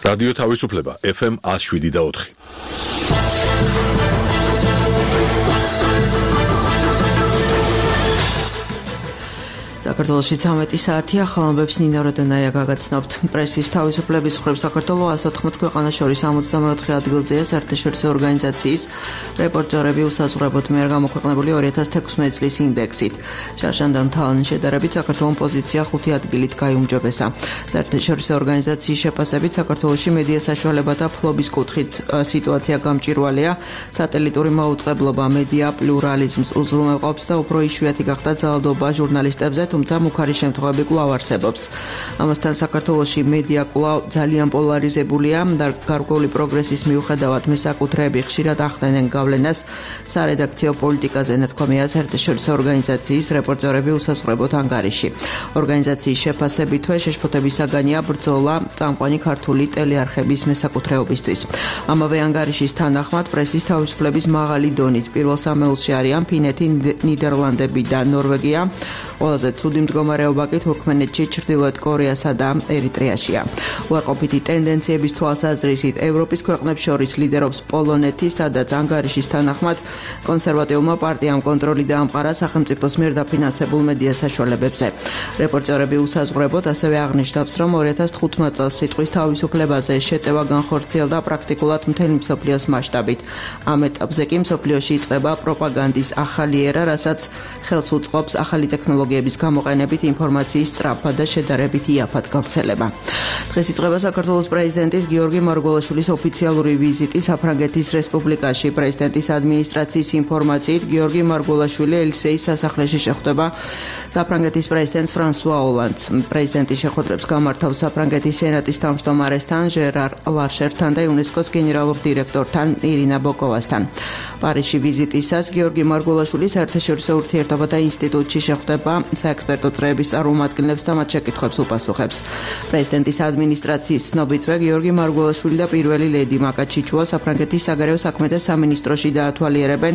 რადიო თავისუფლება FM 107.4. საქართველოში 13 საათია, ხალხებს ნინა როდენაია გაგაცნობთ. პრესის თავისუფლების მხრივ საქართველოს 180 ქვეყანას შორის 64 ადგილზეა საერთაშორისო ორგანიზაციის რეპორტერები უსაზღვრებლად მიერ გამოქვეყნებული 2016 წლის ინდექსით. შარშანდან თავის შედარებით საქართველოს პოზიცია 5 ადგილით გაიუმჯობესა. საერთაშორისო ორგანიზაციის შეფასებით საქართველოში მედია საშუალებათა ფლობის კუთხით სიტუაცია გამჭვირვალეა. სატელიტური მოუწყებლობა მედია პლურალიზმს უზრუნველყოფს და უფრო იშვიათი გახდა ძალადობა ჟურნალისტებზე, თუმცა მუქარი შემთხვევები კვლავ არსებობს. ამასთან საქართველოში მედია კვლავ ძალიან პოლარიზებულია და გარკვეული პროგრესის მიუხედავად მესაკუთრეები ხშირად ახდენენ გავლენას სარედაქციო პოლიტიკაზე, ნათქვამია საერთაშორისო ორგანიზაციის რეპორტერები უსაზღვრებლად ანგარიში. ორგანიზაციის შეფასებითვე შეშფოთებისაგანია ბრძოლა წამყვანი ქართული ტელეარხების მესაკუთრეობისთვის. ამავე ანგარიშის თანახმად პრესის თავისუფლების მაღალი დონით პირველ სამეულში არიან ფინეთი, ნიდერლანდები და ნორვეგია. ყველაზე ცუდი მდგომარეობა კი თურქმენეთში, ჩრდილოეთ კორეასა და ერიტრეაშია. უარყოფითი ტენდენციების თვალსაზრისით ევროპის ქვეყნებს შორის ლიდერობს პოლონეთი, სადაც ანგარიშის თანახმად კონსერვატიულმა პარტიამ კონტროლი დაამყარა სახელმწიფოს მიერ დაფინანსებულ მედია საშუალებებზე. რეპორტერები უსაზღვრებლად ასევე აღნიშნავს, რომ 2015 წელს სიტყვის თავისუფლებაზე შეტევა განხორციელდა პრაქტიკულად მთელი მსოფლიოს მასშტაბით. ამ ეტაპზე კი მსოფლიოში იწყება პროპაგანდის ახალი ერა, რასაც ხელს უწყობს ახალი ტექნოლოგიების გამოყენებით ინფორმაციის სწრაფად და შედარებით იაფად გავრცელება. დღეს იწყება საქართველოს პრეზიდენტის გიორგი მარგველაშვილის ოფიციალური ვიზიტი საფრანგეთის რესპუბლიკაში. პრეზიდენტის ადმინისტრაციის ინფორმაციით გიორგი მარგველაშვილი ელისეის სასახლეში შეხვდება საფრანგეთის პრეზიდენტს ფრანსუა ოლანდს. პრეზიდენტი შეხვედრებს გამართავს საფრანგეთის სენატის თავმჯდომარესთან ჟერარ ლარშერთან და იუნესკოს გენერალურ დირექტორთან ირინა ბოკოვასთან. პარიზში ვიზიტისას გიორგი მარგველაშვილი საერთაშორისო ურთიერთობათა ინსტიტუტში შეხვდება საექსპერტო წრეების წარმომადგენლებს და მათ შეკითხვებს უპასუხებს. პრეზიდენტის ადმინისტრაციის ცნობითვე გიორგი მარგველაშვილი და პირველი ლედი მაკა ჩიჩუა საფრანგეთის საგარეო საქმეთა სამინისტროში დაათვალიერებენ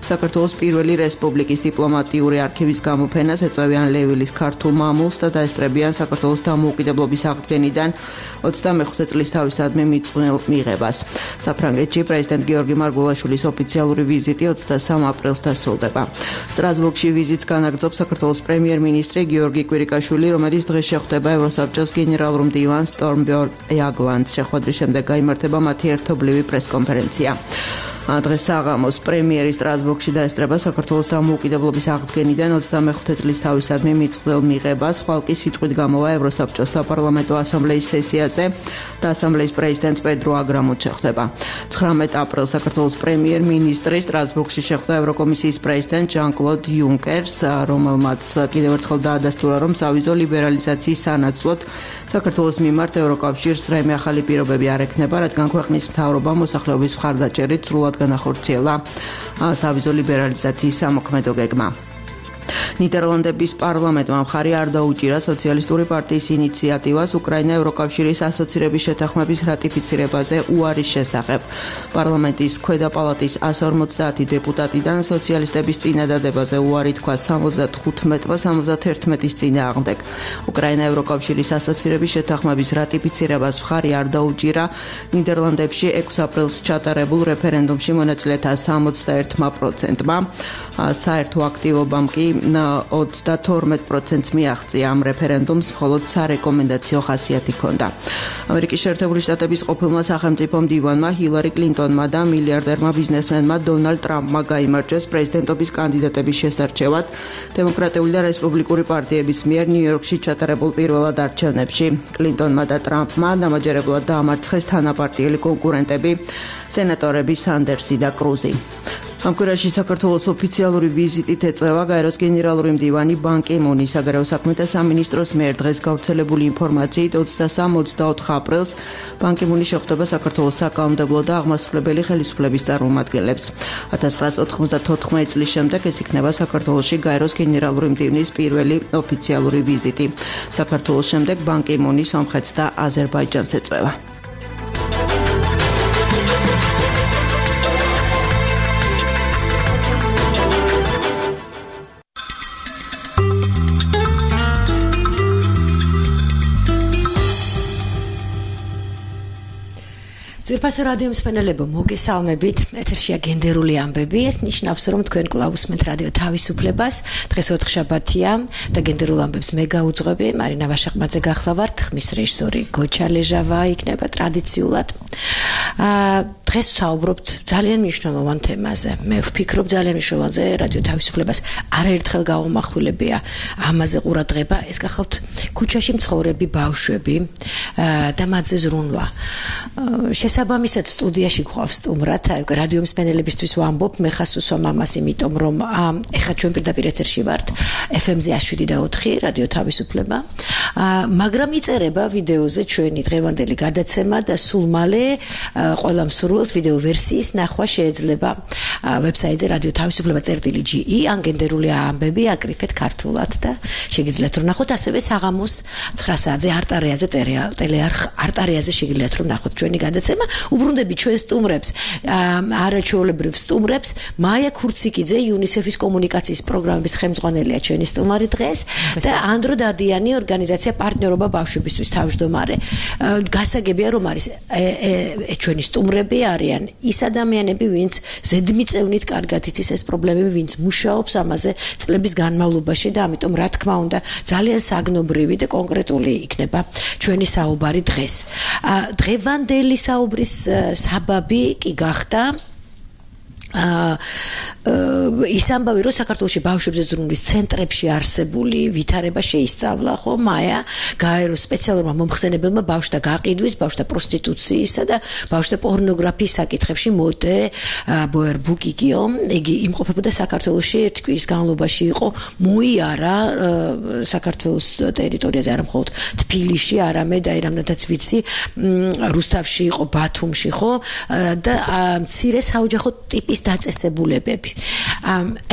საქართველოს პირველი რესპუბლიკის დიპლომატიური არქივის გამოფენას, ეწევიან ლევილის ქართულ მამულს და დაესწრებიან საქართველოს დამოუკიდებლობის აღდგენიდან 25 წლის თავისადმი მიწყვნილ მიღებას. საფრანგეთში პრეზიდენტ გიორგი მარგველაშვილის ოფიციალური ვიზიტი 23 აპრილს დასრულდება. სტრასბურგში ვიზიტს განაგრძობს საქართველოს პრემიერ-მინისტრი გიორგი კვირიკაშვილი, რომელიც დღეს შეხვდება ევროსაბჭოს გენერალურ მდივანს სტორმბერგ იაგლანდს. შეხვედრის შემდეგ გაიმართება მათი ერთობლივი პრესკონფერენცია. დღეს საღამოს პრემიერი სტრასბურგში დაესწრება საქართველოს დამოუკიდებლობის აღდგენიდან 25 წლის თავისადმი მიწყვლელ მიღებას. ხვალკი სიტყვით გამოვა ევროსაბჭოს საპარლამენტო ასამბლეის სესიაზე და ასამბლეის პრეზიდენტ პედრო აგრამუც შეხვდება. 19 აპრილს საქართველოს პრემიერ-მინისტრი სტრასბურგში შეხვდა ევროკომისიის პრეზიდენტ ჟან-კლოდ იუნკერს, რომელმაც კიდევ ერთხელ დაადასტურა, რომ სავიზო ლიბერალიზაციის სანაცვლოდ საქართველოს მიმართ ევროკავშირს რაიმე ახალი პირობები არ ექნება, რადგან ქვეყნის მთავრობა მოსახლეობის მხარდაჭერით სრულად განახორციელა სავიზო ლიბერალიზაციის სამოქმედო გეგმა. ნიდერლანდების პარლამენტმა მხარი არ დაუჭირა სოციალისტური პარტიის ინიციატივას უკრაინა ევროკავშირის ასოცირების შეთანხმების რატიფიცირებაზე უარის შესახებ. პარლამენტის ქვედა პალატის 150 დეპუტატიდან სოციალისტების წინადადებაზე უარი თქვა 75-71-ის წინააღმდეგ. უკრაინა ევროკავშირის ასოცირების შეთანხმების რატიფიცირებას მხარი არ დაუჭირა ნიდერლანდებში 6 აპრილს ჩატარებულ რეფერენდუმში მონაწილეთა 61%-მა. საერთო აქტივობამ კი 32% მიაღწია. ამ რეფერენდუმს მხოლოდ სარეკომენდაციო ხასიათი ჰქონდა. ამერიკის შეერთებული შტატების ყოფილმა სახელმწიფო მდივანმა ჰილარი კლინტონმა და მილიარდერმა ბიზნესმენმა დონალდ ტრამპმა გაიმარჯვეს პრეზიდენტობის კანდიდატების შესარჩევად დემოკრატიული და რესპუბლიკური პარტიების მიერ ნიუ-იორკში ჩატარებულ პირველად არჩევნებში. კლინტონმა და ტრამპმა დამაჯერებლად დაამარცხეს თანაპარტიელი კონკურენტები სენატორები სანდერსი და კრუზი. ამ კვირაში საქართველოს ოფიციალური ვიზიტით ეწევა გაეროს გენერალური მდივანი ბან კი მუნი. საგარეო საქმეთა სამინისტროს მიერ დღეს გავრცელებული ინფორმაციით 23-24 აპრილს ბან კი მუნი შეხვდება საქართველოს საკანონმდებლო და აღმასრულებელი ხელისუფლების წარმომადგენლებს. 1994 წლის შემდეგ ეს იქნება საქართველოში გაეროს გენერალური მდივნის პირველი ოფიციალური ვიზიტი. საქართველოს შემდეგ ბან კი მუნი სომხეთს და აზერბაიჯანს ეწევა. ძვირფასო რადიო მსმენელებო, მოგესალმებით. ეთერშია გენდერული ამბები. ეს ნიშნავს, რომ თქვენ კვლავ უსმენთ რადიო თავისუფლებას. დღეს ოთხშაბათია და გენდერულ ამბებს მე გაუძღვები. მარინა ვაშაყმაძე გახლავართ, ხმის რეჟისორი გოჩა ლეჟავა იქნება ტრადიციულად. დღეს ვსაუბრობთ ძალიან მნიშვნელოვან თემაზე. მე ვფიქრობ ძალიან მნიშვნელოვანზე რადიო თავისუფლებას არაერთხელ გავამახვილებია ამაზე ყურადღება. ეს გახავთ ქუჩაში მცხოვრები ბავშვები და მათზე ზრუნვა. შესაბამისად სტუდიაში გვყავს სტუმრად, რადიო მსმენელებისთვის ვამბობ, მე ხას უსვამ ამას, იმიტომ რომ ეხლა ჩვენ პირდაპირ ეთერში ვართ FM-ზე 107.4 რადიო თავისუფლება, მაგრამ იწერება ვიდეოზე ჩვენი დღევანდელი გადაცემა და სულ მალე ყველა მსურველს ვიდეო ვერსიის ნახვა შეიძლება ვებსაიტზე რადიო თავისუფლება.ge ან გენდერული ამბები აკრიფეთ ქართულად და შეგიძლიათ რომ ნახოთ, ასევე საღამოს 9 საათზე არტარიაზე ტელეარხ არტარიაზე შეგიძლიათ რომ ნახოთ ჩვენი გადაცემა. უბრუნდები ჩვენ სტუმრებს, არაჩვეულებრივ სტუმრებს. მაია ქურციკიძე, UNICEF-ის კომუნიკაციის პროგრამების ხელმძღვანელია ჩვენი სტუმარი დღეს და ანდრო დადიანი, ორგანიზაცია პარტნიორობა ბავშვებისთვის თავმჯდომარე. გასაგებია რომ არის ჩვენი სტუმრები არიან ის ადამიანები, ვინც ზედმიწევნით კარგად იცის ეს პრობლემები, ვინც მუშაობს ამაზე წლების განმავლობაში და ამიტომ რა თქმა უნდა ძალიან საგნობრივი და კონკრეტული იქნება ჩვენი საუბარი დღეს. დღევანდელი საუბრის საბაბი კი გახდა ის ამბავი, რომ საქართველოში ბავშვებზე ზრუნვის ცენტრებში არსებული ვითარება შეისწავლა, ხო, მაია გაერო სპეციალურმა მომხსენებელმა ბავშვთა გაყიდვის, ბავშვთა პროსტიტუციისა და ბავშვთა პორნოგრაფიის საკითხებში მოდე ბოერ ბუკიკიო. იგი იმყოფებოდა საქართველოში, ერთი კვირის განმავლობაში იყო მოიარა საქართველოს ტერიტორიაზე, არა მხოლოდ თბილისში, არამედ აი რამდენადაც ვიცი, რუსთავში იყო, ბათუმში, ხო, და მცირე საოჯახო ტიპის დაწესებულებები.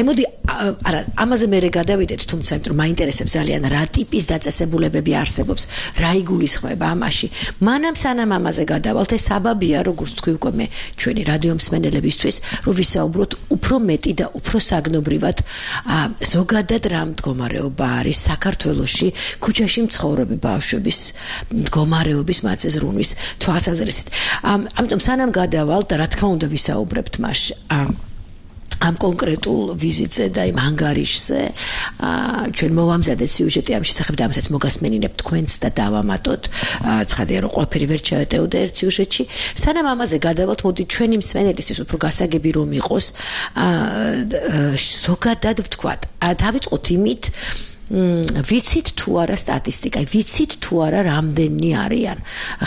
მოდი, არა, ამაზე მე გადავიდეთ, თუმცა იმიტომ რომ მაინტერესებს ძალიან რა ტიპის დაწესებულებები არსებობს, რა იგულისხმება ამაში. მანამ სანამ ამაზე გადავალთ, ეს საბაბია, როგორც თქვი უკვე მე ჩვენი რადიო მსმენელებისთვის, რომ ვისაუბროთ უფრო მეტი და უფრო საგნობრივად ზოგადად რა მდგომარეობა არის საქართველოში ქუჩაში მცხოვრები ბავშვების მდგომარეობის, მათზე ზრუნვის თვალსაზრისით. ამიტომ სანამ გადავალთ და რა თქმა უნდა ვისაუბრებთ მასში ამ კონკრეტულ ვიზიტზე და იმ ანგარიშზე, ჩვენ მოვამზადეთ სიუჟეტი ამ შესახებ და ამასაც მოგასმენინებთ თქვენც და დავამატოთ. ცხადია რომ ყველაფერი ვერ ჩაეტეოდა ერთ სიუჟეტში. სანამ ამაზე გადავალთ, მოდი ჩვენი მსმენელისთვის უფრო გასაგები რომ იყოს, ზოგადად ვთქვათ, დავიწყოთ იმით, ვიცით თუ არა სტატისტიკა, ვიცით თუ არა რამდენი არიან,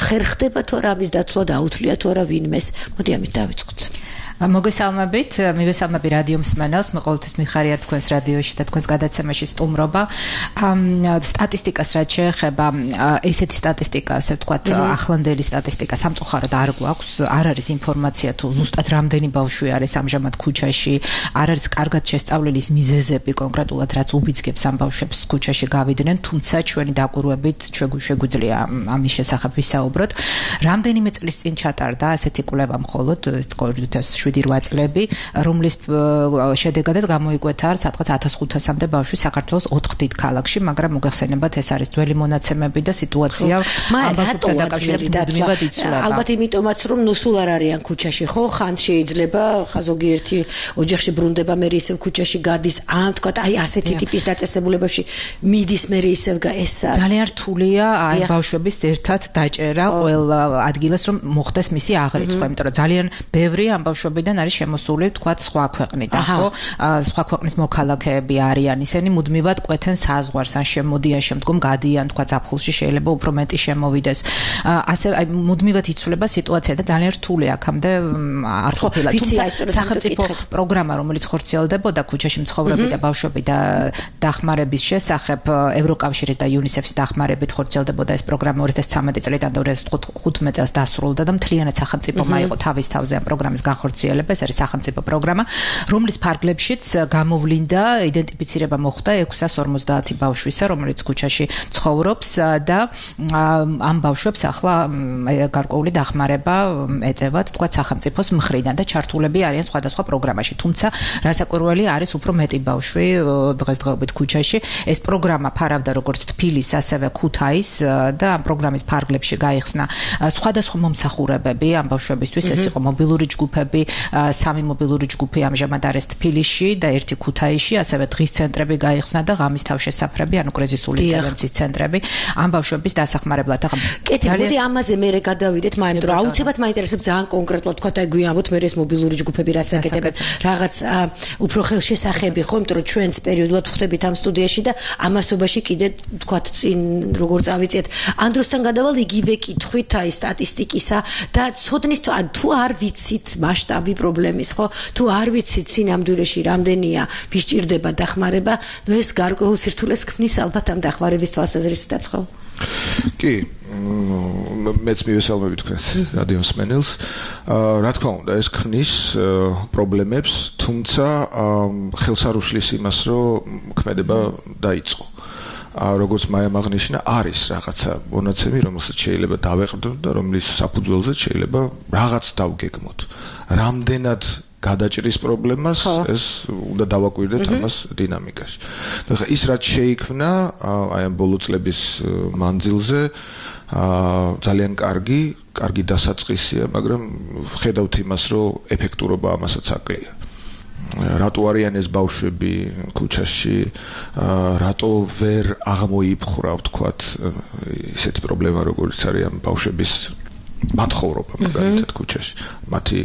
ხერხდება თუ არა ამის დათვლა, დაუთვლია თუ არა ვინმეს. მოდი ამით დავიწყოთ. მოგესალმებით, მივესალმები რადიო მსმენელს, მე ყოველთვის მიხარია თქვენს რადიოში და თქვენს გადაცემაში სტუმრობა. სტატისტიკას რაც შეეხება, ესეთი სტატისტიკა, ასე ვთქვათ, ახლანდელი სტატისტიკა სამწუხაროდ არ გვაქვს, არ არის ინფორმაცია თუ ზუსტად რამდენი ბავშვი არის ამჟამად ქუჩაში, არ არის კარგად შესწავლილი ის მიზეზები კონკრეტულად, რაც უბიძგებს ამ ბავშვებს ქუჩაში გავიდნენ, თუმცა ჩვენი დაკვირვებით შეგვიძლია ამის შესახებ ვისაუბროთ. რამდენიმე წლის წინ ჩატარდა ასეთი კვლევა მხოლოდ 7-8 წლები, რომლის შედეგადაც გამოიკვეთა სადღაც 1500-მდე ბავშვი საქართველოს 4 დიდ ქალაქში, მაგრამ მოგეხსენებათ ეს არის ძველი მონაცემები და სიტუაცია ამ ბავშვებთან დაკავშირებით მუდმივად იცვლება. ალბათ იმიტომაც რომ სულ არ არიან ქუჩაში, ხო, ხან შეიძლება ზოგიერთი ოჯახში ბრუნდება, მე ისევ ქუჩაში გადის, თქვა აი ასეთი ტიპის დაწესებულებებში მიდის, მე ისევ ეს ძალიან რთულია აი ბავშვების ერთად დაჭერა ყველა ადგილას, რომ მოხდეს მისი აღრიცხვა, იმიტომ რომ ძალიან ბევრი ამ ბავშვებიდან არის შემოსული, თქვათ, სხვა ქვეყნიდან, ხო? სხვა ქვეყნის მოქალაქეები არიან, ისინი მუდმივად კვეთენ საზღვარს, ან შემოდიან, შემდგომ გადიან, თქვათ, ზაფხულში შეიძლება უფრო მეტი შემოვიდეს. ასე აი მუდმივად იცვლება სიტუაცია და ძალიან რთულია აქამდე არ ყოფილა. თუმცა სახელმწიფო პროგრამა, რომელიც ხორციელდებოდა ქუჩაში მცხოვრები და ბავშვები და დახმარების შესახებ, ევროკავშირის და UNICEF-ის დახმარებით ხორციელდებოდა ეს პროგრამა 2013 წლიდან 2015 წელს დასრულდა და მთლიანად სახელმწიფო მაიღო თავის თავზე ამ პროგრამის განხორციელება. ხანგრძლივება, ეს არის სახელმწიფო პროგრამა, რომლის ფარგლებშიც გამოვლინდა იდენტიფიცირება მოხდა 650 ბავშვისა, რომელიც ქუჩაში ცხოვრობს და ამ ბავშვებს ახლა გარკვეული დახმარება ეწევათ, თქვა სახელმწიფოს მხრიდან და ჩართულები არიან სხვადასხვა პროგრამაში. თუმცა რასაკვირველი არის უფრო მეტი ბავშვი დღესდღეობით ქუჩაში. ეს პროგრამა ფარავდა როგორც თბილისს, ასევე ქუთაისს და ამ პროგრამის ფარგლებში გაიხსნა სხვადასხვა მომსახურებები ამ ბავშვებისთვის. ეს იყო მობილური ჯგუფები, 3 მობილური ჯგუფი ამჟამად არის თბილისში და 1 ქუთაისში, ასევე დღის ცენტრები გაიხსნა და ღამის თავშესაფრები, ანუ კრიზისული ინტერვენციის ცენტრები ამ ბავშვების დასახმარებლად. კეთილი, მოდი ამაზე მერე გადავიდეთ, მაგრამ რომ აუცილებლად მაინტერესებს ძალიან კონკრეტულად თქვა და გვიამბოთ მე ეს მობილური ჯგუფები რაც აკეთებენ, რაღაც უფრო ხელშესახები ხო, იმიტომ რომ ჩვენც პერიოდულად ვხვდებით ამ სტუდიაში და ამასობაში კიდე თქვა წინ როგორ წავიწიეთ. ანდროსთან გადავალ იგივე კითხვით აი სტატისტიკისა და ცოდნის თუ არ ვიცით მასშტაბი პრობლემის, ხო? თუ არ ვიცით სინამდვილეში რამდენია ვის ჭირდება დახმარება, ნუ ეს გარკვეულ სირთულეს ქმნის ალბათ ამ დახმარების თვალსაზრისითაც, ხო? კი, მეც მივესალმები თქვენს რადიო მსმენელს. რა თქმა უნდა, ეს ქმნის პრობლემებს, თუმცა ხელს არ უშლის იმას, რომ ქმედება დაიწყო. როგორც მაიამ აღნიშნა, არის რაღაცა მონაცემი, რომელსაც შეიძლება დავეყრდნოთ და რომლის საფუძველზე შეიძლება რაღაც დავგეგმოთ. რამდენად გადაჭრის პრობლემას ეს უნდა დავაკვირდეთ ამას დინამიკაში. ხა ის რაც შეიქმნა აი ამ ბოლო წლების მანძილზე ძალიან კარგი დასაწყისია, მაგრამ ხედავთ იმას, რომ ეფექტურობა ამასაც აკლია. რატო არიან ეს ბავშვები ქუჩაში, რატო ვერ აღმოიფხვრა, ვთქვათ, ისეთი პრობლემა, როგორც არის ამ ბავშვების მათხოვრობა მაგალითად ქუჩაში, მათი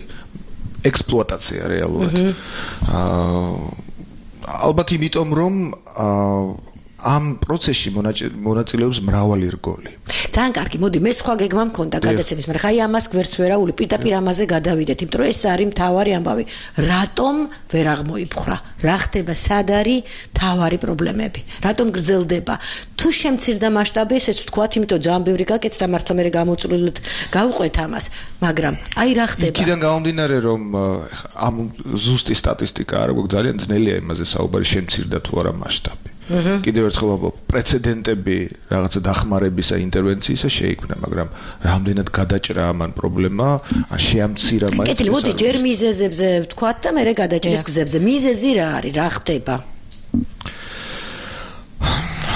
ექსპლუატაცია რეალურად. ალბათ იმიტომ, რომ ამ პროცესში მონაწილეობს მრავალი რგოლი. ძალიან კარგი, მოდი მე სხვა გეგმა მქონდა გადაცემის, მაგრამ ხაი ამას გვერდს ვერაული, პირდაპირ ამაზე გადავიდეთ, იმიტომ რომ ეს არის მთავარი ამბავი. რატომ ვერ აღმოიფხვრა? რა ხდება, სად არის მთავარი პრობლემები? რატომ გრძელდება? თუ შემცირდა მასშტაბი, ესეც ვთქვათ, იმიტომ ძალიან ბევრი გაკეთდა, მართლა მე გამოწვლილად გავყვეთ ამას, მაგრამ აი რა ხდება? იქიდან გამომდინარე, რომ ამ ზუსტი სტატისტიკა არ აქვს, ძალიან ძნელია იმაზე საუბარი, შემცირდა თუ არა მასშტაბი. კიდევ ერთხელ ვამბობ, პრეცედენტები რაღაცა დახმარებისა, ინტერვენციისა შეიქმნა, მაგრამ რამდენად გადაჭრა ამან პრობლემა, შეამცირა მაინც. კეთილი, მოდი ჯერ მიზეზებზე ვთქვათ და მერე გადაჭრის გზებზე. მიზეზი რა არის, რა ხდება?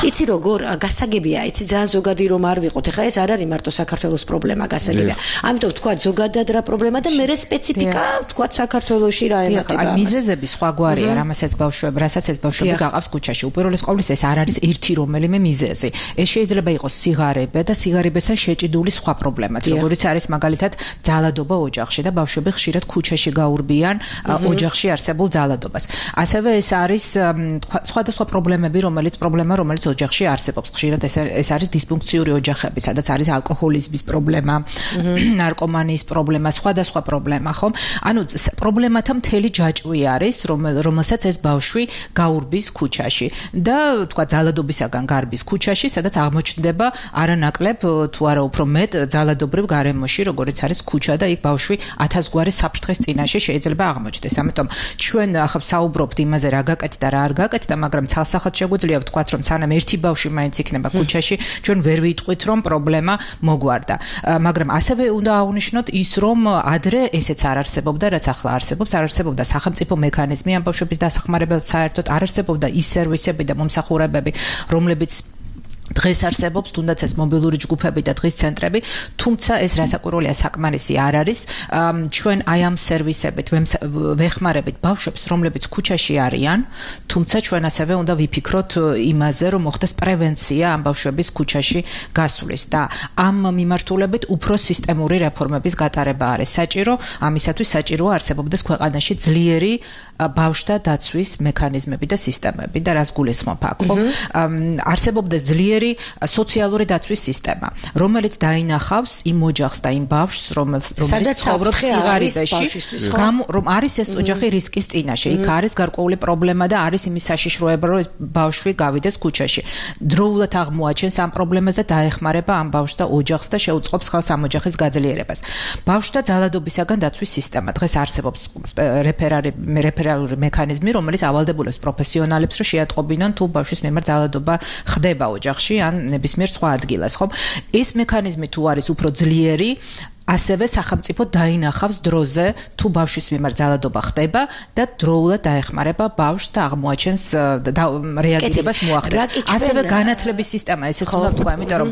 იცი როგორ გასაგებია, იცი ძალიან ზოგადი რომ არ ვიყოთ. ეხლა ეს არ არის მარტო საქართველოს პრობლემა, გასაგებია. ამიტომ ვთქვათ ზოგადად რა პრობლემა და მერე სპეციფიკა, ვთქვათ საქართველოში რა ემატება. აი მიზეზები სხვაგვარია, რასაც ბავშვები გაყავს ქუჩაში. უპირველეს ყოვლისა ეს არ არის ერთი რომელიმე მიზეზი. ეს შეიძლება იყოს სიგარება და სიგარებასთან შეჭიდული სხვა პრობლემაც, როგორიც არის მაგალითად ძალადობა ოჯახში და ბავშვები ხშირად ქუჩაში გაურბიან ოჯახში არსებულ ძალადობას. ასევე ეს არის სხვადასხვა პრობლემები, რომელიც ოჯახში არსებობს. ხშირად ეს არის დისფუნქციური ოჯახები, სადაც არის ალკოჰოლიზმის პრობლემა, ნარკომანიის პრობლემა, სხვადასხვა პრობლემა, ხომ? ანუ პრობლემათა მთელი ჯაჭვი არის, რომელსაც ეს ბავშვი გაურბის ქუჩაში და თქვა ძალადობისაგან გარბის ქუჩაში, სადაც აღმოჩნდება არანაკლებ თუ არა უფრო მეტ ძალადობრივ გარემოში, როგორც არის ქუჩა და იქ ბავშვი 1000 გვარი საფრთხის წინაშე შეიძლება აღმოჩნდეს. ამიტომ ჩვენ ახლა საუბრობთ იმაზე, რა გაკეთდა, რა არ გაკეთდა, მაგრამ ცალსახად შეგვიძლია ვთქვათ, რომ სანამ ერთი ბავშვი მაინც იქნება ქუჩაში, ჩვენ ვერ ვიტყვით, რომ პრობლემა მოგვარდა. მაგრამ ასევე უნდა აღვნიშნოთ ის, რომ ადრე ესეც არ არსებობდა, რაც ახლა არსებობს, არ არსებობდა სახელმწიფო მექანიზმი ამ ბავშვების დასახმარებლად, საერთოდ არ არსებობდა ის სერვისები და მომსახურებები, რომლებიც დღეს არსებობს, თუნდაც ეს მობილური ჯგუფები და დღის ცენტრები, თუმცა ეს რასაკვირველია საკმარისი არ არის. ჩვენ აი ამ სერვისებით ვეხმარებით ბავშვებს, რომლებიც ქუჩაში არიან, თუმცა ჩვენ ასევე უნდა ვიფიქროთ იმაზე, რომ მოხდეს პრევენცია ამ ბავშვების ქუჩაში გასვლის და ამ მიმართულებით უფრო სისტემური რეფორმების გატარება არის საჭირო. ამისათვის საჭიროა არსებობდეს ქვეყანაში ძლიერი ბავშვთა დაცვის მექანიზმები და სისტემები და რას გულისხმობ აქ, ხო? არსებობდა ძლიერი სოციალური დაცვის სისტემა, რომელიც დაინახავს იმ ოჯახს და იმ ბავშვს, რომელიც ცხოვრობს სიღარიბეში, რომ არის ეს ოჯახი რისკის წინაშე, იქ არის გარკვეული პრობლემა და არის იმის საშიშროება, რომ ეს ბავშვი გავიდეს ქუჩაში. დროულად აღმოაჩენს ამ პრობლემას და დაეხმარება ამ ბავშვს და ოჯახს და შეუწყობს ხელს ამ ოჯახის გაძლიერებას. ბავშვთა ძალადობისაგან დაცვის სისტემა დღეს არსებობს რეფერალური მექანიზმი, რომელიც ავალდებულებს პროფესიონალებს, რომ შეატყობინონ თუ ბავშვის მიმართ ძალადობა ხდება ოჯახში ან ნებისმიერ სხვა ადგილას, ხო? ეს მექანიზმი თუ არის უფრო ძლიერი, ასევე სახელმწიფო დაინახავს დროზე თუ ბავშვის მიმართ ძალადობა ხდება და დროულად დაეხმარება ბავშვს და აღმოაჩენს რეაგირებას მოახდენს. ასევე განათლების სისტემა, ესეც უნდა ვთქვა, იმიტომ რომ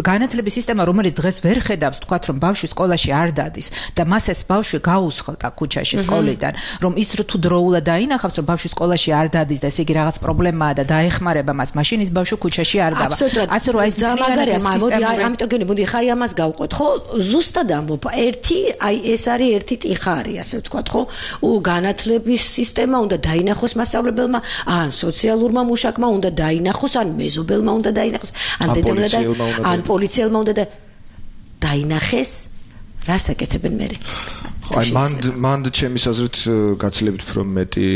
განათლების სისტემა, რომელიც დღეს ვერ ხედავს, თქვათ, რომ ბავშვი სკოლაში არ დადის და მას ეს ბავშვი გაუსხლტა ქუჩაში სკოლიდან, რომ ის თუ დროულად დაინახავს, რომ ბავშვი სკოლაში არ დადის და ესე იგი რაღაც პრობლემაა და დაეხმარება მას, მაშინ ის ბავშვი ქუჩაში არ დავა. ასე რომ ეს ძალიან მაგარია, ამიტომ გენი, მოდი ხაი ამას გავყოთ, ხო? ზუსტად ამბობ, ეს არის ერთი ტიხარი, ასე ვთქვათ, ხო? განათლების სისტემა უნდა დაინახოს მასწავლებელმა, ან სოციალურმა მუშაკმა უნდა დაინახოს, ან მეზობელმა უნდა დაინახოს, ან პოლიციელმა უნდა დაინახეს, რას აკეთებენ მერე? აი მანდ ჩემის აზრით გაცილებით უფრო მეტი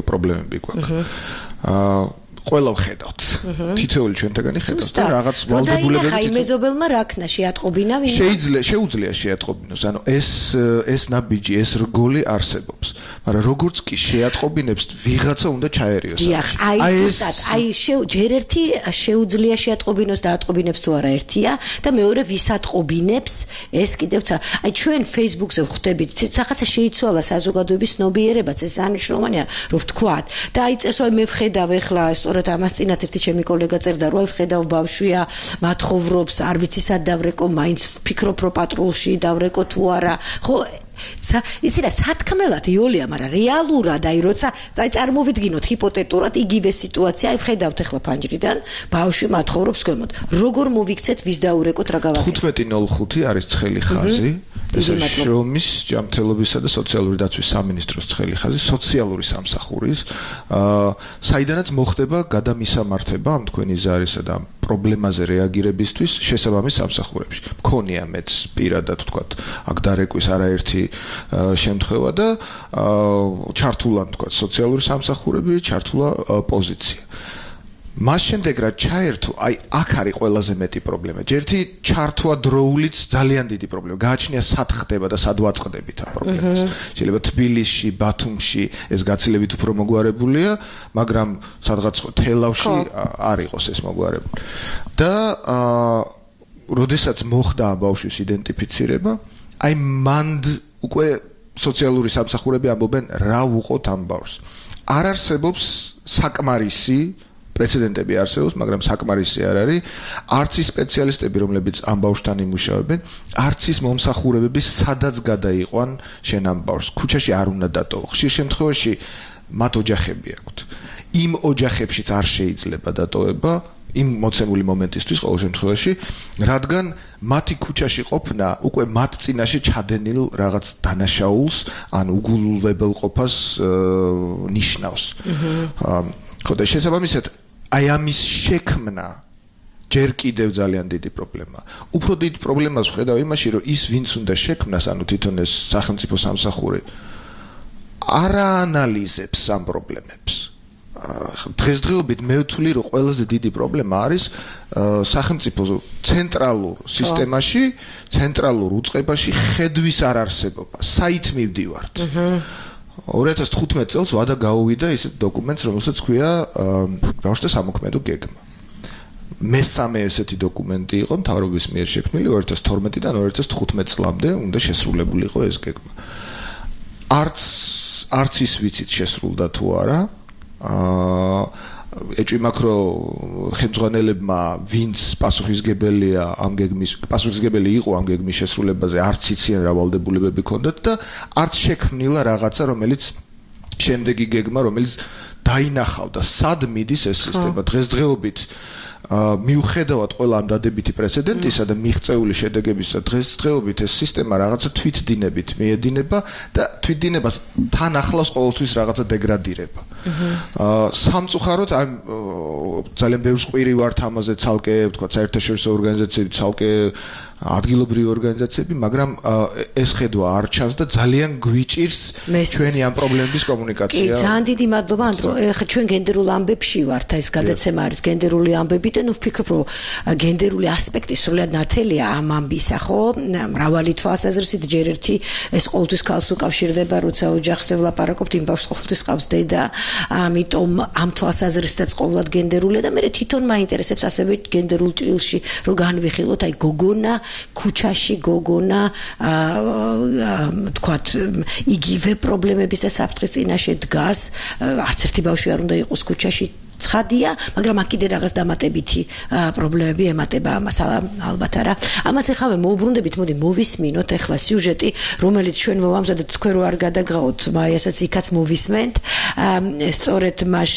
პრობლემები გვაქვს. ყველა ვხედავთ. თითოეული ჩვენთაგანი ხედავთ და რაღაც ვალდებულებები ხაი მეზობელმა რაკნა შეატყობინა ვინ? შეუძლია შეატყობინოს. ანუ ეს ნაბიჯი, ეს რგოლი არსებობს. მაგრამ როგორც კი შეატყობინებს, ვიღაცა უნდა ჩაერიოს. დიახ, აი ზუსტად, ჯერ ერთი შეუძლია შეატყობინოს და ატყობინებს თუ არა ერთია და მეორე ვისატყობინებს, ეს კიდევ აი ჩვენ Facebook-ზე ვხვდებით, რაღაცა შეიცვალა საზოგადოების ცნობიერებაც, ეს ანიშნულოვანია, რომ ვთქვათ. და აი წესო მე ვხედავ ეხლა სწორედ ამას წინათ ერთი ჩემი კოლეგა წერდა, რომ აი ვხედავ ბავშვია, მათხოვრობს, არ ვიცი სად დავრეკო, მაინც ფიქრობ რომ პატრულში დავრეკო თუ არა. ხო იცი რა სათქმელად იოლია, მაგრამ რეალურად აი როცა აი წარმოვიდგინოთ ჰიპოთეტურად იგივე სიტუაცია, აი ვხედავთ ახლა ფანჯრიდან, ბავშვი მათხოვრობს ქვემოთ. როგორ მოვიქცეთ, ვის დაურეკოთ, რა გავაკეთოთ? 15:05 არის ცხელი ხაზი. ეს არის შრომის, ჯანმრთელობისა და სოციალური დაცვის სამინისტროს ცხელი ხაზი, სოციალური სამსახურის, საიდანაც მოხდება გადამისამართება ამ თქვენი ზარისა და პრობლემაზე რეაგირებისთვის შესაბამის სამსახურებში. მქონია მეც პირადად ვთქვათ, აქ დარეკვის არაერთი შემთხვევა და ჩართულა ვთქვათ სოციალური სამსახურები, ჩართულა პოზიცია. მას შემდეგ რა ჩაერთო, აი აქ არის ყველაზე მეტი პრობლემა. ჯერთი ჩართვა დროულიც ძალიან დიდი პრობლემა. გააჩნია სად ხდება და სად ვაწყდებით ამ პრობლემას. შეიძლება თბილისში, ბათუმში ეს გაცილებით უფრო მოგვარებულია, მაგრამ სადღაც თელავში არ იყოს ეს მოგვარებული. და როდესაც მოხდა ამ ბავშვის იდენტიფიცირება, აი მანდ უკვე სოციალური სამსახურები ამბობენ რა ვუყოთ ამ ბავშვს. არ არსებობს საკმარისი პრეცედენტები არსებობს, მაგრამ საკმარისი არ არის. არც ის სპეციალისტები, რომლებიც ამ ბავშვთან იმუშავებენ, არც ის მომსახურებები, სადაც გადაიყვან შენ ამ ბავშვს. ქუჩაში არ უნდა დატოვო. ხშირ შემთხვევაში მათ ოჯახები აქვთ. იმ ოჯახებშიც არ შეიძლება დატოვება იმ მოცემული მომენტისთვის ყოველ შემთხვევაში, რადგან მათი ქუჩაში ყოფნა უკვე მათ წინაშე ჩადენილ რაღაც დანაშაულს, ან უგულებელ ყოფას ნიშნავს. ხო და შესაბამისად აი ამის შექმნა ჯერ კიდევ ძალიან დიდი პრობლემაა. უფრო დიდ პრობლემას ვხედავ იმაში, რომ ის ვინც უნდა შექმნას, ანუ თვითონ ეს სახელმწიფო სამსახური არ აანალიზებს ამ პრობლემებს. დღესდღეობით მე ვთვლი, რომ ყველაზე დიდი პრობლემა არის სახელმწიფო ცენტრალურ სისტემაში, ცენტრალურ უწყებაში ხედვის არარსებობა. საით მივდივართ? 2015 წელს ვადა გაუვიდა ისეთ დოკუმენტს, რომელსაც ქვია ბავშვთა სამოქმედო გეგმა. მესამე ესეთი დოკუმენტი იყო მთავრობის მიერ შექმნილი 2012-დან 2015 წლამდე უნდა შესრულებული იყო ეს გეგმა. არც ის ვიცით შესრულდა თუ არა. ეჭვი მაქვს, რომ ხელმძღვანელებმა ვინც პასუხისგებელია ამ გეგმის, პასუხისგებელი იყო ამ გეგმის შესრულებაზე, არც იციან რა ვალდებულებები ჰქონდათ და არც შექმნილა რაღაცა, რომელიც შემდეგი გეგმა, რომელიც დაინახავდა სად მიდის ეს სისტემა. დღესდღეობით მიუხედავად ყველა ამ დადებითი პრეცედენტისა და მიღწეული შედეგებისა, დღესდღეობით ეს სისტემა რაღაცა თვითდინებით მიედინება და თვითდინებას თან ახლავს ყოველთვის რაღაცა დეგრადირება. სამწუხაროდ ძალიან ბევრს ყვირი ვართ ამაზე ცალკე, თქვა საერთაშორისო ორგანიზაციები, ცალკე ადგილობრივი ორგანიზაციები, მაგრამ ეს ხედვა არ ჩანს და ძალიან გვიჭირს ჩვენი ამ პრობლემების კომუნიკაცია. კი, ძალიან დიდი მადლობა, ანდრო. ეხლა ჩვენ გენდერულ ამბებში ვართ, ეს გადაცემა არის გენდერული ამბები და ნუ ვფიქრობ, რომ გენდერული ასპექტი სრულად ნათელია ამ ამბისა, ხო? მრავალი თვალსაზრისით ჯერ ერთი ეს ყოველთვის ქალს უკავშირდება, როცა ოჯახზე ვლაპარაკობთ, იმ ბავშვს ყოველთვის ყავს დედა, ამიტომ ამ თვალსაზრისითაც ყოველად გენდერულია და მე თვითონ მაინტერესებს ასევე გენდერულ ჭრილში რომ განვიხილოთ, აი გოგონა ქუჩაში გოგონა თქვათ იგივე პრობლემების და საფრთხის წინაშე დგას, არც ერთი ბავშვი არ უნდა იყოს ქუჩაში ცხადია, მაგრამ აქ კიდე რაღაც დამატებითი პრობლემები ემატება ამას, ალბათ არა. ამას ეხავე მოუბრუნდებით, მოდი მოვისმინოთ ახლა სიუჟეტი, რომელიც ჩვენ მოვამზადეთ, თქვენ რო არ გადაგრაოთ, მაიასაც იქაც მოვისმენთ. სწორედ მას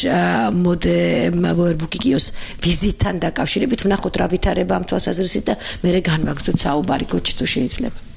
მოდე ბოერბუკიკიოს ვიზიტთან დაკავშირებით ვნახოთ რა ვითარება ამ თვალსაზრისით და მერე განვაგრძოთ საუბარი, გოჩი თუ შეიძლება.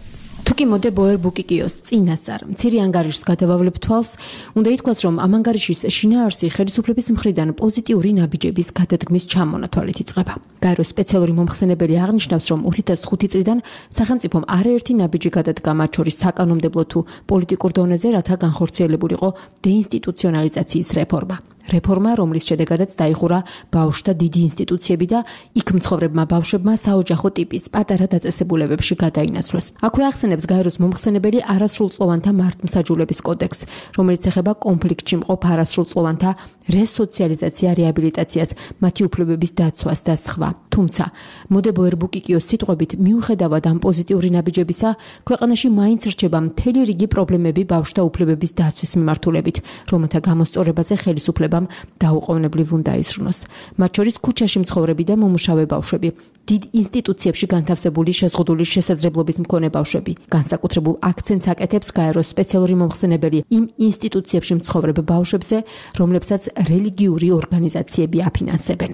თუკი მოდე ბოერბუკიკიოს წინასწარ მცირე ანგარიშს გადავავლებ თვალს, უნდა ითქვას, რომ ამ ანგარიშის შინაარსი ხელისუფლების მხრიდან პოზიტიური ნაბიჯების გადადგმის ჩამონათვალით იწყება. გაეროს სპეციალური მომხსენებელი აღნიშნავს, რომ 2005 წლიდან სახელმწიფომ არაერთი ნაბიჯი გადადგა, მათ შორის საკანონმდებლო თუ პოლიტიკურ დონეზე, რათა განხორციელებულიყო დეინსტიტუციონალიზაციის რეფორმა. რეფორმა, რომლის შედეგადაც დაიხურა ბავშვთა დიდი ინსტიტუციები და იქ მცხოვრებმა ბავშვებმა საოჯახო ტიპის პატარა დაწესებულებებში გადაინაცვლეს. აქვე ახსენებს გაეროს მომხსენებელი არასრულწლოვანთა მართლმსაჯულების კოდექსს, რომელიც ეხება კონფლიქტში მყოფ არასრულწლოვანთა რესოციალიზაცია, რეაბილიტაციას, მათი უფლებების დაცვას და სხვა. თუმცა, მოდე ბოერბუკიკიოს სიტყვებით, მიუხედავად ამ პოზიტიური ნაბიჯებისა, ქვეყანაში მაინც რჩება მთელი რიგი პრობლემები ბავშვთა უფლებების დაცვის მიმართულებით, რომელთა გამოსწორებაზე ხელისუფლება დაუყოვნებლივ უნდა ისრუნოს. მათ შორის ქუჩაში მცხოვრები და მომუშავე ბავშვები, დიდ ინსტიტუციებში განთავსებული შეზღუდული შესაძლებლობის მქონე ბავშვები. განსაკუთრებულ აქცენტს აკეთებს გაეროს სპეციალური მომხსენებელი იმ ინსტიტუციებში მცხოვრებ ბავშვებზე, რომლებსაც რელიგიური ორგანიზაციები აფინანსებენ.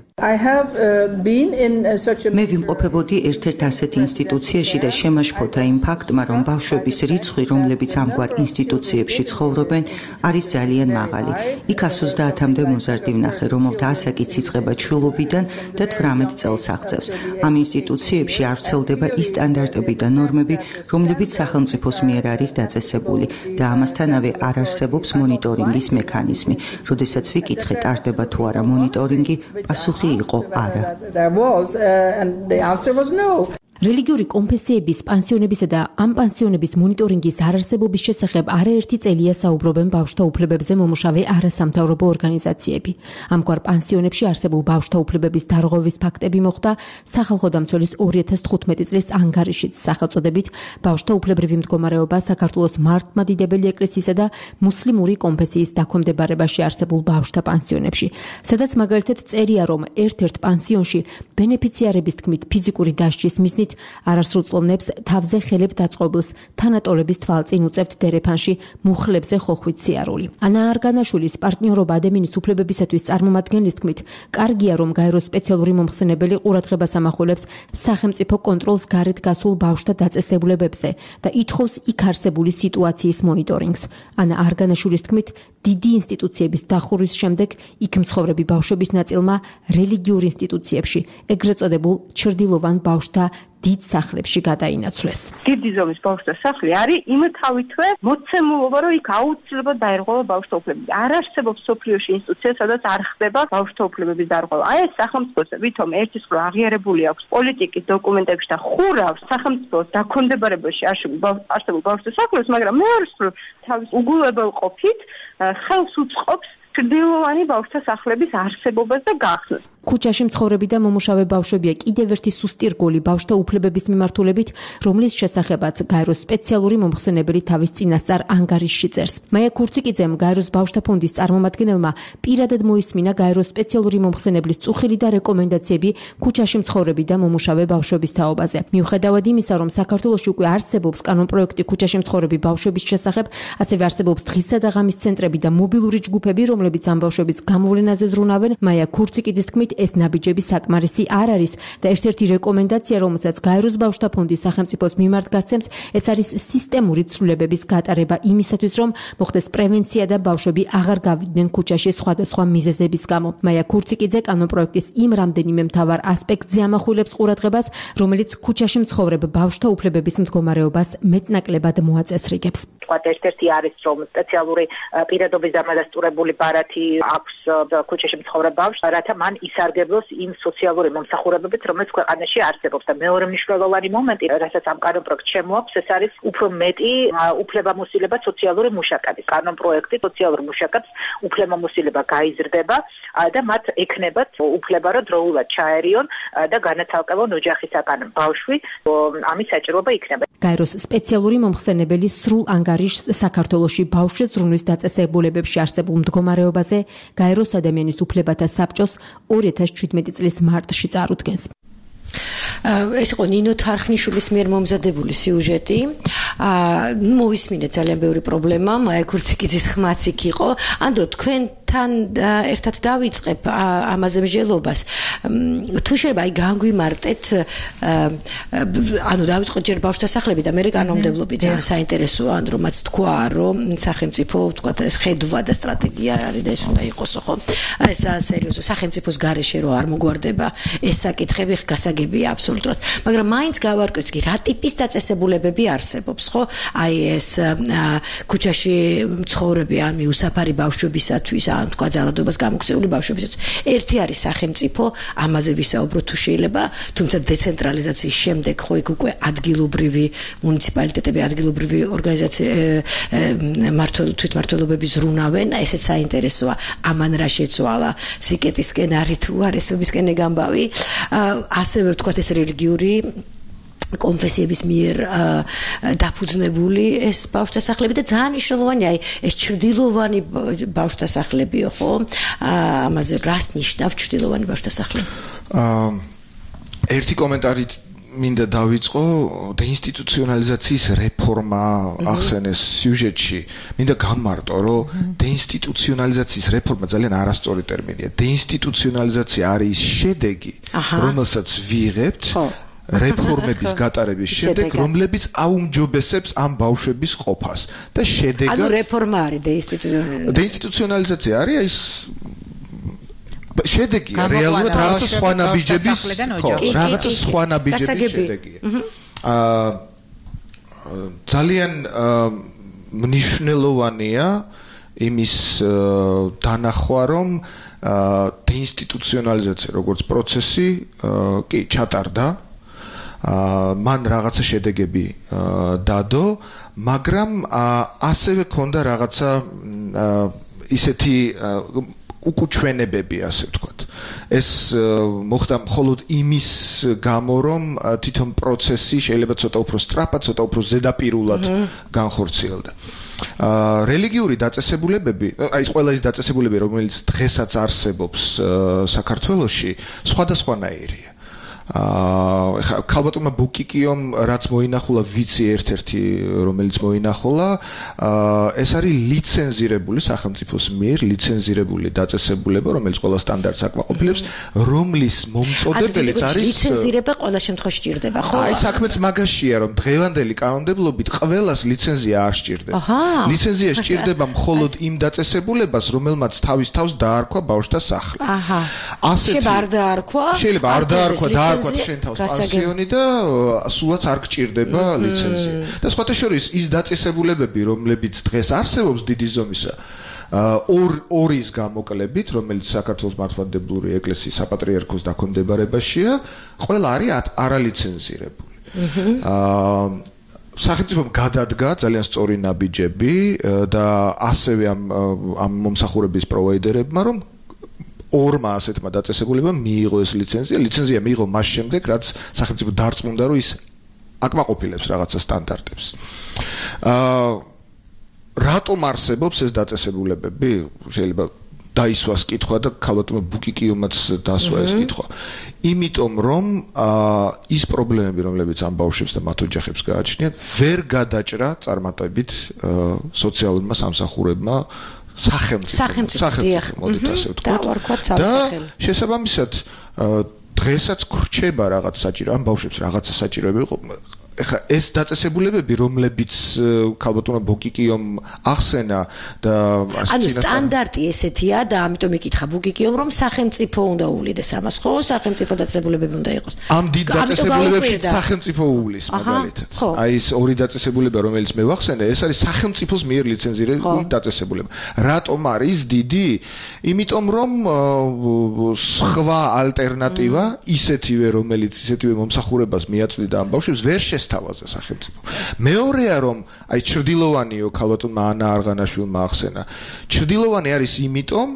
მე ვიმყოფებოდი ერთ-ერთ ასეთ ინსტიტუციაში და შემაშფოთა იმ ფაქტმა, რომ ბავშვების რიცხვი, რომლებიც ამგვარ ინსტიტუციებში ცხოვრობენ, არის ძალიან მაღალი. იქ 130-მდე მოზარდი ვნახე, რომელთა ასაკიც იწყება ჩვილობიდან და 18 წელს აღწევს. ამ ინსტიტუციებში არ ვრცელდება ის სტანდარტები და ნორმები, რომლებიც სახელმწიფოს მიერ არის დაწესებული და ამასთანავე არ არსებობს მონიტორინგის მექანიზმი. როდესაც ვიკითხე, ტარდება თუ არა მონიტორინგი, პასუხი იყო არა. რელიგიური კონფესიების, პანსიონებისა და ამ პანსიონების მონიტორინგის არარსებობის შესახებ არაერთი წელია საუბრობენ ბავშვთა უფლებებზე მომუშავე არასამთავრობო ორგანიზაციები. ამგვარ პანსიონებში არსებულ ბავშვთა უფლებების დარღვევის ფაქტები მოხდა სახალხო დამცველის 2015 წლის ანგარიშით სახელწოდებით ბავშვთა უფლებრივი მდგომარეობა საქართველოს მართლმადიდებელი ეკლესიისა და მუსლიმური კონფესიის დაქვემდებარებაში არსებულ ბავშვთა პანსიონებში, სადაც მაგალითად წერია, რომ ერთ-ერთ პანსიონში ბენეფიციარების თქმით ფიზიკური დასჯის მიზნით არასრულწლოვნებს თავზე ხელებ დაწყობილს თანატოლების თვალწინ უწევთ დერეფანში მუხლებზე ხოხვით სიარული. ანა არგანაშვილის პარტნიორობა ადამიანის უფლებებისათვის წარმომადგენლის თქმით, კარგია, რომ გაეროს სპეციალური მომხსენებელი ყურადღებას ამახვილებს სახელმწიფო კონტროლს გარეთ გასულ ბავშვთა დაწესებულებებზე და ითხოვს იქ არსებული სიტუაციის მონიტორინგს. ანა არგანაშვილის თქმით, დიდი ინსტიტუციების დახურვის შემდეგ იქ მცხოვრები ბავშვების ნაწილმა რელიგიურ ინსტიტუციებში, ეგრეთ წოდებულ ჩრდილოვან ბავშვთა დიდ სახლებში გადაინაცვლეს. დიდი ზომის ბავშვთა სახლი არის იმთავითვე მოცემულობა, რომ იქ აუცილებლად დაერღვევა ბავშვთა უფლებები. არ არსებობს სოფლიოში ინსტიტუცია, სადაც არ ხდება ბავშვთა უფლებების დარღვევა. აი ეს სახელმწიფოს ვითომ ერთის მხრივ აღიარებული აქვს პოლიტიკის დოკუმენტებში და ხურავს სახელმწიფოს დაქვემდებარებაში არსებულ ბავშვთა სახლებს, მაგრამ მეორეს მხრივ თავის უგულებელ ყოფით ხელს უწყობს ჩრდილოვანი ბავშვთა სახლების არსებობას და გახსნას. ქუჩაში მცხოვრები და მომუშავე ბავშვებია კიდევ ერთი სუსტი რგოლი ბავშვთა უფლებების მიმართულებით, რომლის შესახებაც გაეროს სპეციალური მომხსენებელი თავის წინასწარ ანგარიშში წერს. მაია ქურციკიძემ, გაეროს ბავშვთა ფონდის წარმომადგენელმა, პირადად მოისმინა გაეროს სპეციალური მომხსენებლის წუხილი და რეკომენდაციები ქუჩაში მცხოვრები და მომუშავე ბავშვების თაობაზე. მიუხედავად იმისა, რომ საქართველოში უკვე არსებობს კანონპროექტი ქუჩაში მცხოვრები ბავშვების შესახებ, ასევე არსებობს დღისა და ღამის ცენტრები და მობილური ჯგუფები, რომლებიც ამ ბავშვების გამოვლენაზე ზრუნავენ, მაია ქურციკიძის თქმით, თქმით, ეს ნაბიჯები საკმარისი არ არის და ერთ-ერთი რეკომენდაცია, რომელსაც გაეროს ბავშვთა ფონდის სახელმწიფოს მიმართ გასცემს, ეს არის სისტემური ცვლილებების გატარება იმისათვის, რომ მოხდეს პრევენცია და ბავშვები აღარ გავიდნენ ქუჩაში სხვადასხვა მიზეზების გამო. მაია ქურციკიძე კანონპროექტის იმ რამდენიმე მთავარ ასპექტზე ამახვილებს ყურადღებას, რომელიც ქუჩაში მცხოვრებ ბავშვთა უფლებების მდგომარეობას მეტნაკლებად მოაწესრიგებს. ერთ-ერთი არის, რომ სპეციალური პირადობის დამადასტურებული ბარათი აქვს ქუჩაში მცხოვრებ ბავშვს, რათა მან ისარგებლოს იმ სოციალური მომსახურებებით, რომელიც ქვეყანაში არსებობს. და მეორე მნიშვნელოვანი მომენტი, რასაც ამ კანონპროექტს შემოაქვს, ეს არის უფრო მეტი უფლებამოსილება სოციალური მუშაკების. კანონპროექტი სოციალურ მუშაკებს უფლებამოსილება გაიზრდება და მათ ექნებათ უფლება, რომ დროულად ჩაერიონ და განაცალკევონ ოჯახისაგან ბავშვი, ამის საჭიროება იქნება. გაეროს სპეციალური მომხსენებელი სრულ ანგარიშს საქართველოში ბავშვის ზრუნვის დაწესებულებებში არსებულ მდგომარეობაზე გაეროს ადამიანის უფლებათა საბჭოს 2017 წლის მარტში წარუდგენს. ეს იყო ნინო თარხნიშვილის მიერ მომზადებული სიუჟეტი. მოვისმინეთ ძალიან ბევრი პრობლემა, მაია ქურციკიძის ხმაც იქ იყო. ანდრო თქვენთან ერთად დავიწყებ ამაზე მსჯელობას. თუ შეიძლება აი განგვიმარტეთ, ანუ დავიწყოთ ჯერ ბავშვთა სახლები და მე კანონმდებლობი ძალიან საინტერესოა, ანდრო მათ თქვა, რომ სახელმწიფო თქვა ეს ხედვა და სტრატეგია არის და ეს უნდა იყოსო, ხო? ეს ძალიან სერიოზო სახელმწიფოს გარეშე რო არ მოგვარდება ეს საკითხები გასაგებია აბსოლუტურად. მაგრამ მაინც გავარკვევთ კი რა ტიპის დაწესებულებები არსებობს, ხო? აი ეს ქუჩაში მცხოვრები ან მიუსაფარი ბავშვებისათვის, ან თქვა ძალადობას გამოქცეული ბავშვებისათვის. ერთი არის სახელმწიფო, ამაზე ვისაუბროთ თუ შეიძლება, თუმცა დეცენტრალიზაციის შემდეგ ხო იქ უკვე ადგილობრივი მუნიციპალიტეტები, ადგილობრივი თვითმმართველობები ზრუნავენ, ესეც საინტერესოა. ამან რა შეცვალა სიკეტისკენ არის თუ არ ესობისკენ გამბავი. ასევე ვთქვათ ეს რელიგიური კონფესიების მიერ დაფუძნებული ეს ბავშვთა სახლები და ძალიან მნიშვნელოვანია აი ეს ჩრდილოვანი ბავშვთა სახლებიო, ხო? ამაზე რას ნიშნავს ჩრდილოვანი ბავშვთა სახლები? ერთი კომენტარით მინდა დავიწყო, დეინსტიტუციონალიზაციის რეფორმა ახსენეს სიუჟეტში. მინდა გამარტო, რომ დეინსტიტუციონალიზაციის რეფორმა ძალიან არასწორი ტერმინია. დეინსტიტუციონალიზაცია არის შედეგი, რომელსაც ვიღებთ რეფორმების გატარების შემდეგ, რომლებიც აუმჯობესებს ამ ბავშვების ყოფას და შედეგად ანუ რეფორმა არის დეინსტიტუციონალიზაცია არის ის შედეგია რეალურად რაღაცა სხვა ნაბიჯების შედეგია. ძალიან მნიშვნელოვანია იმის დანახვა, რომ დეინსტიტუციონალიზაცია როგორც პროცესი კი ჩატარდა, მან რაღაცა შედეგები დადო, მაგრამ ასევე ქონდა რაღაცა ისეთი უკუჩვენებები, ასე ვთქვათ. ეს მოხდა მხოლოდ იმის გამო, რომ თვითონ პროცესი შეიძლება ცოტა უფრო სწრაფად, ცოტა უფრო ზედაპირულად განხორციელდა. რელიგიური დაწესებულებები, აი ეს ყველა ის დაწესებულებები, რომელიც დღესაც არსებობს საქართველოში, სხვადასხვანაირია. ეხლა ქალბატონმა ბუკიკიომ რაც მოინახულა ვიცი ერთ-ერთი რომელიც მოინახულა ეს არის ლიცენზირებული სახელმწიფოს მიერ ლიცენზირებული დაწესებულება რომელიც ყველა სტანდარტს აკმაყოფილებს რომლის მომწოდებელიც არის ლიცენზირება ყველა შემთხვევაში სჭირდება ხო აი საქმეც მაგაშია რომ დღევანდელი კანონმდებლობით ყველას ლიცენზია არ სჭირდება ლიცენზია სჭირდება მხოლოდ იმ დაწესებულებას რომელმაც თავის თავს დაარქვა ბავშვთა სახლი შეიძლება არ დაარქვა შეიძლება არ დაარქვა შენ თავს პანსიონი და სულაც არ გჭირდება ლიცენზია. და სხვათა შორის ის დაწესებულებები, რომლებიც დღეს არსებობს დიდი ზომისა, ორის გამოკლებით, რომელიც საქართველოს მართლმადიდებლური ეკლესიის საპატრიარქოს დაქვემდებარებაშია, ყველა არის არალიცენზირებული. სახელმწიფომ გადადგა ძალიან სწორი ნაბიჯები და ასევე ამ მომსახურების პროვაიდერებმა, რომ ორმა ასეთმა დაწესებულებამ მიიღო ეს ლიცენზია. ლიცენზია მიიღო მას შემდეგ, რაც სახელმწიფო დარწმუნდა, რომ ის აკმაყოფილებს რაღაცა სტანდარტებს. რატომ არსებობს ეს დაწესებულებები? შეიძლება დაისვას კითხვა და ქალბატონმა ბუკიკიომაც დასვა ეს კითხვა. იმიტომ რომ ის პრობლემები, რომლებიც ამ ბავშვებს და მათ ოჯახებს გააჩნიათ, ვერ გადაჭრა წარმატებით სოციალურმა სამსახურებმა სახელმწიფო მოდით ასე ვთქვათ და შესაბამისად დღესაც გრჩება რაღაც საჭირო ამ ბავშვებს რაღაცა საჭიროები იყო ეხლა ეს დაწესებულებები რომლებიც ქალბატონმა ბუკიკიომ ახსენა და ანუ სტანდარტი ესეთია და ამიტომ იკითხა ბუკიკიომ რომ სახელმწიფო უნდა უვლიდეს ამას ხო სახელმწიფო დაწესებულებები უნდა იყოს ამ დიდ დაწესებულებებში სახელმწიფო უვლის მაგალითად აი ეს ორი დაწესებულება რომელიც მე ვახსენე ეს არის სახელმწიფოს მიერ ლიცენზირებული დაწესებულება რატომ არის დიდი იმიტომ რომ სხვა ალტერნატივა ისეთივე რომელიც ისეთივე მომსახურებას მიაწვდიდა ამ ბავშვებს ვერ თავაზე სახელმწიფო. მეორეა რომ აი ჩრდილოვანიო ქალბატონმა ანა არღანაშვილმა ახსენა. ჩრდილოვანი არის იმიტომ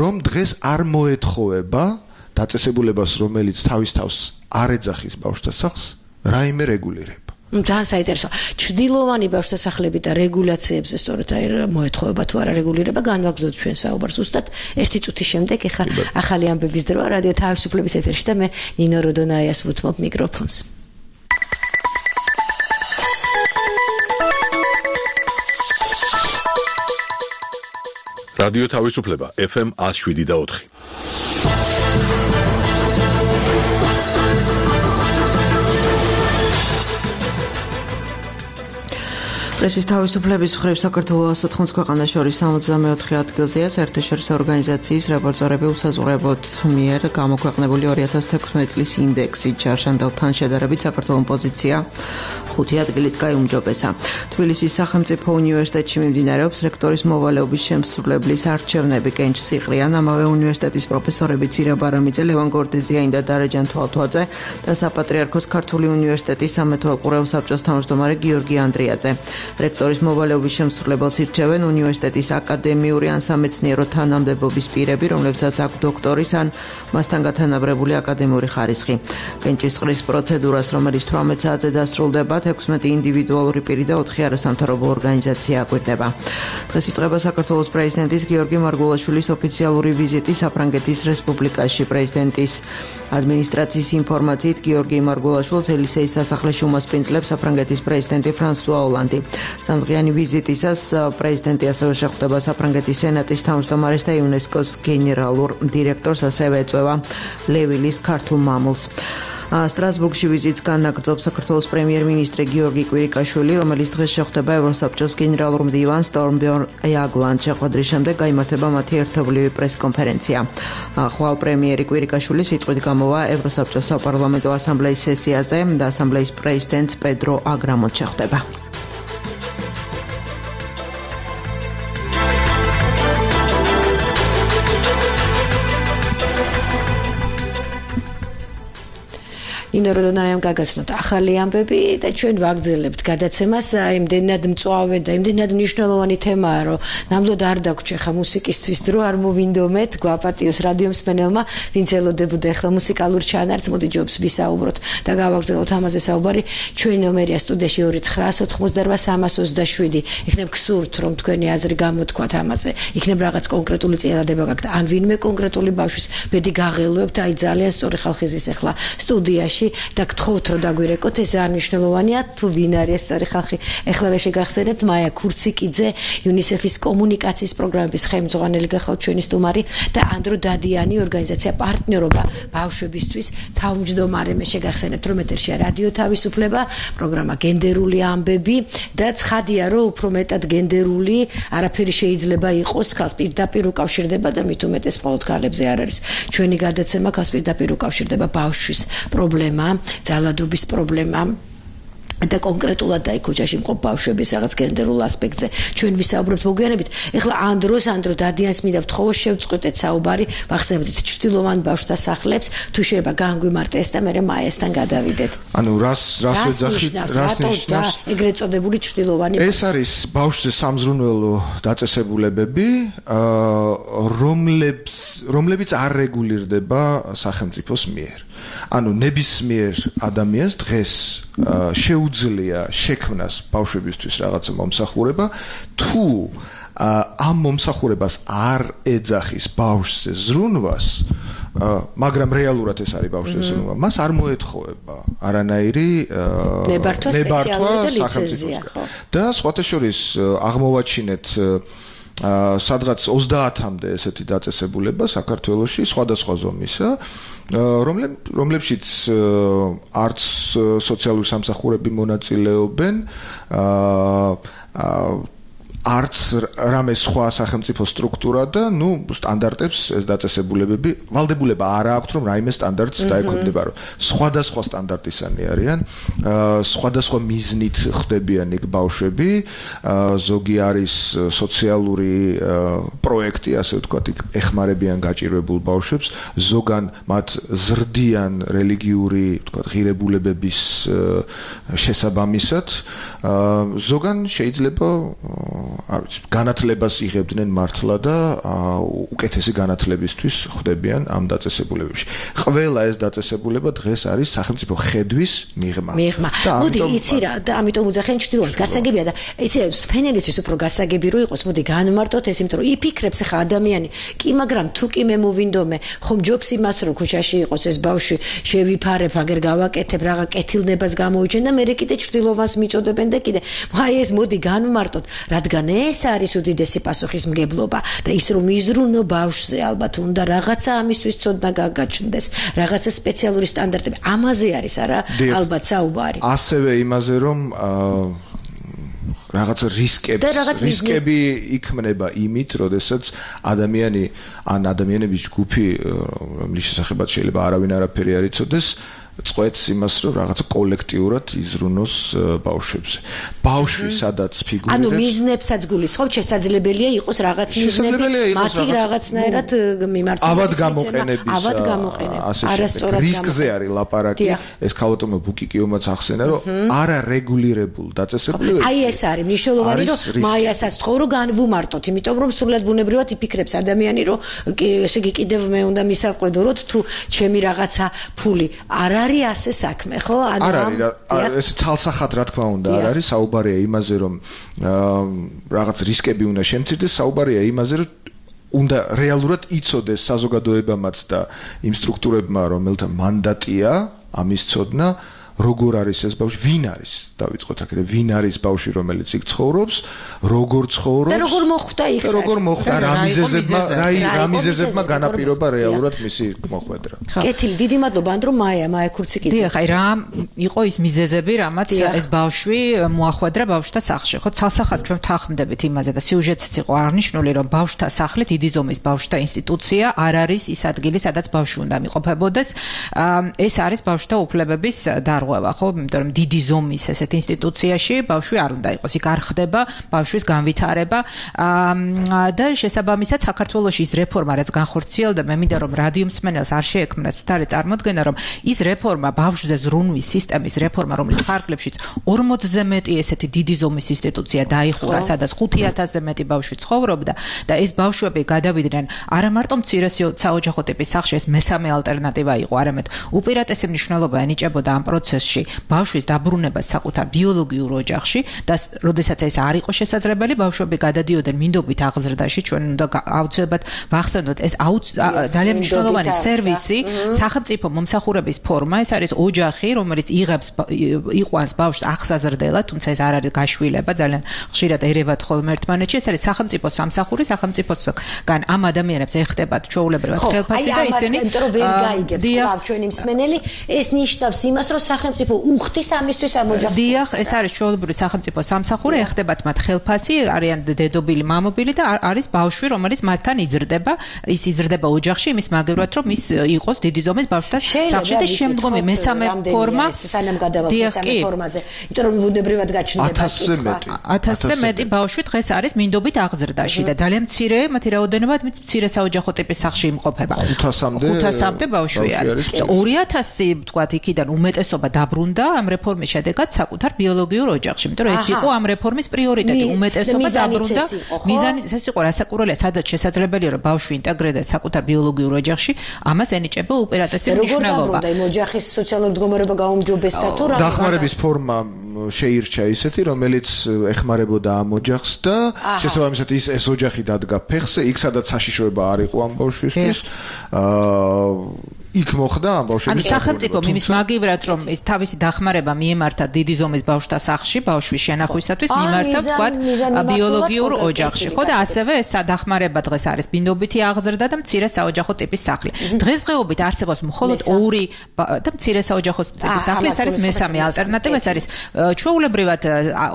რომ დღეს არ მოეთხოვება დაწესებულებას რომელიც თავის თავს არ ეძახის ბავშვთა სახლს რაიმე რეგულირება. ძალიან საინტერესო. ჩრდილოვანი ბავშვთა სახლები და რეგულაციებზე სწორედ აი მოეთხოვება თუ არა რეგულირება განვაგრძოთ ჩვენ საუბარს უსტად ერთი წუთის შემდეგ ეხლა ახალი ამბების დროა რადიო თავისუფლების ეთერში და მე ნინო როდონაიას ვუთმობ მიკროფონს. რადიო თავისუფლება FM 107.4 პრესის თავისუფლების მხრივ საქართველოს 180 ქვეყანას შორის 64 ადგილზეა საერთაშორისო ორგანიზაციის რეპორტერები უსაზღვრებოდ მიერ გამოქვეყნებული 2016 წლის ინდექსი ჩარშანდალთან შედარებით საქართველოს პოზიცია 5 ადგილით გაიუმჯობესა. თბილისის სახელმწიფო უნივერსიტეტში მიმდინარეობს რექტორის მოვალეობის შემსრულებლის არჩევნები კენჭ სიყრიან, ამავე უნივერსიტეტის პროფესორები ცირა ბარამიძე, ლევან გორდეზიანი და დარეჯან თვალთვაძე და საპატრიარქოს ქართული უნივერსიტეტის სამეთო უყურეულ საბჭოს თავმჯდომარე გიორგი ანდრიაძე. რექტორის მოვალეობის შემსრულებელს ირჩევენ უნივერსიტეტის აკადემიური ან სამეცნიერო თანამდებობის პირები, რომლებსაც აქვს დოქტორის ან მასთან გათანაბრებული აკადემიური ხარისხი. კენჭისყრის პროცედურას, რომელიც 18 საათზე დასრულდება, 16 ინდივიდუალური პირი და 4 არასამთავრობო ორგანიზაცია აკვირდება. დღეს იწყება საქართველოს პრეზიდენტის გიორგი მარგულაშვილის ოფიციალური ვიზიტი საფრანგეთის რესპუბლიკაში. პრეზიდენტის ადმინისტრაციის ინფორმაციით გიორგი მარგულაშვილს ელისეის სასახლეში უმასპინძლებს საფრანგეთის პრეზიდენტი ფრანსუა ოლანდი. სამდღიანი ვიზიტისას პრეზიდენტი ასევე შეხვდება საფრანგეთის სენატის თავმჯდომარეს და იუნესკოს გენერალურ დირექტორს, ასევე ეწვევა ლევილის ქართულ მამულს. სტრასბურგში ვიზიტს განაგრძობს საქართველოს პრემიერ-მინისტრი გიორგი კვირიკაშვილი, რომელიც დღეს შეხვდება ევროსაბჭოს გენერალურ მდივანს სტორმბერნ იაგლანდს. შეხვედრის შემდეგ გაიმართება მათი ერთობლივი პრეს-კონფერენცია. ხვალ პრემიერი კვირიკაშვილი სიტყვით გამოვა ევროსაბჭოს საპარლამენტო ასამბლეის სესიაზე და ასამბლეის პრეზიდენტს პედრო აგრამონს შეხვდება. ნინო როდონაიამ გაგაცნოთ ახალი ამბები და ჩვენ ვაგრძელებთ გადაცემას. იმდენად მწვავე და იმდენად მნიშვნელოვანი თემაა, რომ ნამდვილად არ დაგვრჩა ხა მუსიკისთვის დრო არ მოვინდომეთ, გვაპატიოს რადიო მსმენელმა, ვინც ელოდებოდა ახლა მუსიკალურ ჩანართს, მოდი ჯობს ვისაუბროთ და გავაგრძელოთ ამაზე საუბარი. ჩვენი ნომერია სტუდიაში 2988327. იქნებ გსურთ, რომ თქვენი აზრი გამოთქვათ ამაზე. იქნებ რაღაც კონკრეტული წინადადება გაქვთ, ან ვინმე კონკრეტული ბავშვის ბედი გაღელვებთ, აი ძალიან სწორი ხალხი ზის ახლა სტუდიაში და გთხოვთ რომ დაგვირეკოთ ეს არნიშნულოვანია თუ ვინ არის სწორი ხალხი. ეხლა შეგახსენებთ მაია ქურციკიძე, UNICEF-ის კომუნიკაციის პროგრამების ხელმძღვანელი გახავთ ჩვენი სტუმარი და ანდრო დადიანი ორგანიზაცია პარტნიორობა ბავშვებისთვის თავმჯდომარე. მე შეგახსენებთ რომ ეთერშია რადიო თავისუფლება, პროგრამა გენდერული ამბები და ცხადია რომ უფრო მეტად გენდერული არაფერი შეიძლება იყოს ხალხს პირდაპირ უკავშირდება და მით უმეტეს მხოლოდ ქალებზე არ არის. ჩვენი გადაცემა ხალხს პირდაპირ უკავშირდება ბავშვის პრობლემა, ძალადობის პრობლემა და კონკრეტულად აი ქუჩაში მყოფ ბავშვების რაღაც გენდერულ ასპექტზე ჩვენ ვისაუბრებთ მოგვიანებით. ეხლა ანდრო დადიანს მინდა ვთხოვო შევწყვეტეთ საუბარი, ვახსენებთ ჩრდილოვან ბავშვთა სახლებს, თუ შეიძლება განგვიმარტეს და მე მაიასთან გადავიდეთ. ანუ რას ვეძახით, რას ნიშნავს ეგრეთ წოდებული ჩრდილოვანი? ეს არის ბავშვზე სამზრუნველო დაწესებულებები, რომლებიც არ რეგულირდება სახელმწიფოს მიერ. ანუ ნებისმიერ ადამიანს დღეს შეუძლია შექმნას ბავშვებისთვის რაღაცა მომსახურება, თუ ამ მომსახურებას არ ეძახის ბავშვზე ზრუნვას, მაგრამ რეალურად ეს არის ბავშვზე ზრუნვა, მას არ მოეთხოვება არანაირი ნებართვა სპეციალური და ლიცენზია, ხო? და სხვათა შორის აღმოვაჩინეთ სადღაც 30-მდე ესეთი დაწესებულება საქართველოში სხვადასხვა ზომისა, რომლებშიც არც სოციალური სამსახურები მონაწილეობენ, არც რამე სხვა სახელმწიფო სტრუქტურა და სტანდარტებს ეს დაწესებულებები ვალდებულება არ აქვს რომ რაიმე სტანდარტს დაექვემდებარო. სხვადასხვა სტანდარტისანი არიან, სხვადასხვა მიზნით ხდებიან იქ ბავშვები, ზოგი არის სოციალური პროექტი, ასე ვთქვათ, იქ ეხმარებიან გაჭირვებულ ბავშვებს, ზოგან მათ ზრდიან რელიგიური, ვთქვათ, ღირებულებების შესაბამისად, ზოგან შეიძლება განათლებას იღებდნენ მართლა და უკეთესი განათლებისთვის ხდებიან ამ დაწესებულებებში. ყველა ეს დაწესებულება დღეს არის სახელმწიფო ხედვის მიღმა. მოდი იცი რა და ამიტომ უძახენ ჩრდილოეთს გასაგებია და იცი სპენელისთვის უფრო გასაგები რო იყოს, მოდი განმარტოთ ეს, იმიტომ რომ იფიქრებს ხა ადამიანი, კი მაგრამ თუ კი მე მოვინდომე, ხომ ჯობს იმას რომ ქუჩაში იყოს ეს ბავშვი, შევიფარებ, აგერ გავაკეთებ, რაღა კეთილნებას გამოვიჩენ და მე კიდე ჩრდილოვანს მიწოდებენ და კიდე. აი ეს მოდი განმარტოთ, რადგან ეს არის უდიდესი პასუხისმგებლობა და ის რომ იზრუნო ბავშვზე ალბათ უნდა რაღაცა ამისთვის ცოდნა გაგაჩნდეს, რაღაცა სპეციალური სტანდარტები. ამაზე არის არა ალბათ საუბარი. ასევე იმაზე რომ რაღაცა რისკები იქმნება იმით, როდესაც ადამიანი ან ადამიანების ჯგუფი, რომლის შესახებაც შეიძლება არავინ არაფერი არ იცოდეს, წყვეტს იმას, რომ რაღაცა კოლექტიურად იზრუნოს ბავშვებზე. ბავშვი სადაც ფიგურირებს. ანუ მიზნებსაც გულისხმობ, შესაძლებელია იყოს რაღაც მიზნები, მათი რაღაცნაირად მიმართულება. ავად გამოყენების. არასწორად რისკზე არის ლაპარაკი. ეს ქალბატონო ბუკიკიომაც ახსენა, რომ არარეგულირებულ დაწესებულებებში. აი ეს არის მნიშვნელოვანი, რომ მაიასაც თქო რომ განვუმარტოთ, იმიტომ რომ სრულად ბუნებრივად იფიქრებს ადამიანი, რომ ესე იგი კიდევ მე უნდა მისავყვედუროთ თუ ჩემი რაღაცა ფული არ არის ასე საქმე, ხო? არ არის, ეს ცალსახად რა თქმა უნდა არ არის, საუბარია იმაზე, რომ რაღაც რისკები უნდა შემცირდეს, საუბარია იმაზე, რომ უნდა რეალურად იცოდეს საზოგადოებამაც და იმ სტრუქტურებმა, რომელთა მანდატია ამის ცოდნა, როგორ არის ეს ბავშვი, ვინ არის, დავიწყოთ აქედან, ვინ არის ბავშვი, რომელიც იქ ცხოვრობს, როგორ ცხოვრობს და როგორ მოხვდა იქ, როგორ მოხვდა, რა მიზეზებმა განაპირობა რეალურად მისი მოხვედრა. კეთილი, დიდი მადლობა, ანდრო მაია ქურციკიძე. დიახ, აი რა იყო ის მიზეზები, რამაც ეს ბავშვი მოახვედრა ბავშვთა სახლში. ხო, ცალსახად ჩვენ ვთანხმდებით იმაზე და სიუჟეტიც იყო აღნიშნული, რომ ბავშვთა სახლი, დიდი ზომის ბავშვთა ინსტიტუცია არ არის ის ადგილი, სადაც ბავშვი უნდა მიყოფებოდეს. ეს არის ბავშვთა უფლებების დარღვევა. ხო, იმიტომ რომ დიდი ზომის ესეთ ინსტიტუციაში ბავშვი არ უნდა იყოს, იქ არ ხდება ბავშვის განვითარება და შესაბამისად საქართველოში ის რეფორმა რაც განხორციელდა, მე მინდა რომ რადიო მსმენელს არ შეექმნას მთარი წარმოდგენა, რომ ის რეფორმა ბავშვზე ზრუნვის სისტემის რეფორმა, რომლის ფარგლებშიც 40-ზე მეტი ესეთი დიდი ზომის ინსტიტუცია დაიხურა, სადაც 5000-ზე მეტი ბავშვი ცხოვრობდა და ეს ბავშვები გადავიდნენ არა მარტო მცირე საოჯახო ტიპის სახლში, ეს მესამე ალტერნატივა იყო, არამედ უპირატესი მნიშვნელობა ენიჭებოდა ამ პროცესში ბავშვის დაბრუნებას საკუთარ ბიოლოგიურ ოჯახში და როდესაც ეს არ იყო შესაძლებელი, ბავშვები გადადიოდნენ მინდობით აღზრდაში, ჩვენ უნდა აუცილებლად ვახსენოთ, ეს ძალიან მნიშვნელოვანი სერვისი, სახელმწიფო მომსახურების ფორმა, ეს არის ოჯახი, რომელიც იყვანს ბავშვს აღსაზრდელად, თუმცა ეს არ არის გაშვილება, ძალიან ხშირად ერევათ ხოლმე ერთმანეთში, ეს არის სახელმწიფო სამსახური, სახელმწიფოსგან ამ ადამიანებს ეხდებათ ჩვეულებრივად ხელფასი და ისინი ვერ გაიგებს კლავ ჩვენი მსმენელი, ეს ნიშნავს იმას, რომ სახელმწიფო უხდის ამისთვის ამ ოჯახს. დიახ, ეს არის ჩვეულებრივი სახელმწიფო სამსახური, ეხდებათ მათ ხელფასი, არიან დედობილი, მამობილი და არის ბავშვი, რომელიც მათთან იზრდება, ის იზრდება ოჯახში, იმის მაგევრად, რომ ის იყოს დიდი ზომის ბავშვთა სახლში და შემდგომი მესამე ფორმა, სანამ გადავალთ მესამე ფორმაზე, იმიტომ რომ ბუნებრივად გაჩნდება 1000-ზე მეტი ბავშვი დღეს არის მინდობით აღზრდაში და ძალიან მცირე მათი რაოდენობა მცირე საოჯახო ტიპის სახლში იმყოფება. 500-მდე ბავშვი არის. 2000 ვთქვათ, იქიდან უმეტესობა დაბრუნდა ამ რეფორმის შედეგად საკუთარ ბიოლოგიურ ოჯახში, იმიტომ რომ ეს იყო ამ რეფორმის პრიორიტეტი, უმეტესობა დაბრუნდა. მიზანიც ეს იყო, რასაკურველია, სადაც შესაძლებელია რომ ბავშვი ინტეგრირდეს საკუთარ ბიოლოგიურ ოჯახში, ამას ენიჭება უპირატესი მნიშვნელობა. როგორ დაბრუნდა იმ ოჯახის სოციალური მდგომარეობა გაუმჯობესდა თუ რა? დახმარების ფორმა შეირჩა ისეთი, რომელიც ეხმარებოდა ამ ოჯახს და შესაბამისად ეს ოჯახი დადგა ფეხზე, იქ სადაც საშიშროება არ იყო ამ ბავშვისთვის. იქ მოხდა ამ ბავშვების სახელმწიფო იმის მაგივრად რომ ეს თავისი დახმარება მიემართა დიდი ზომის ბავშვთა სახლში ბავშვის შენახვისათვის მიმართა თქვათ ბიოლოგიურ ოჯახში ხო და ასევე ეს დახმარება დღეს არის ბინდობითი აღზრდა და მცირე საოჯახო ტიპის სახლი დღესდღეობით არსებობს მხოლოდ 2 და მცირე საოჯახო ტიპის სახლი ეს არის მესამე ალტერნატივა ეს არის ჩვეულებრივად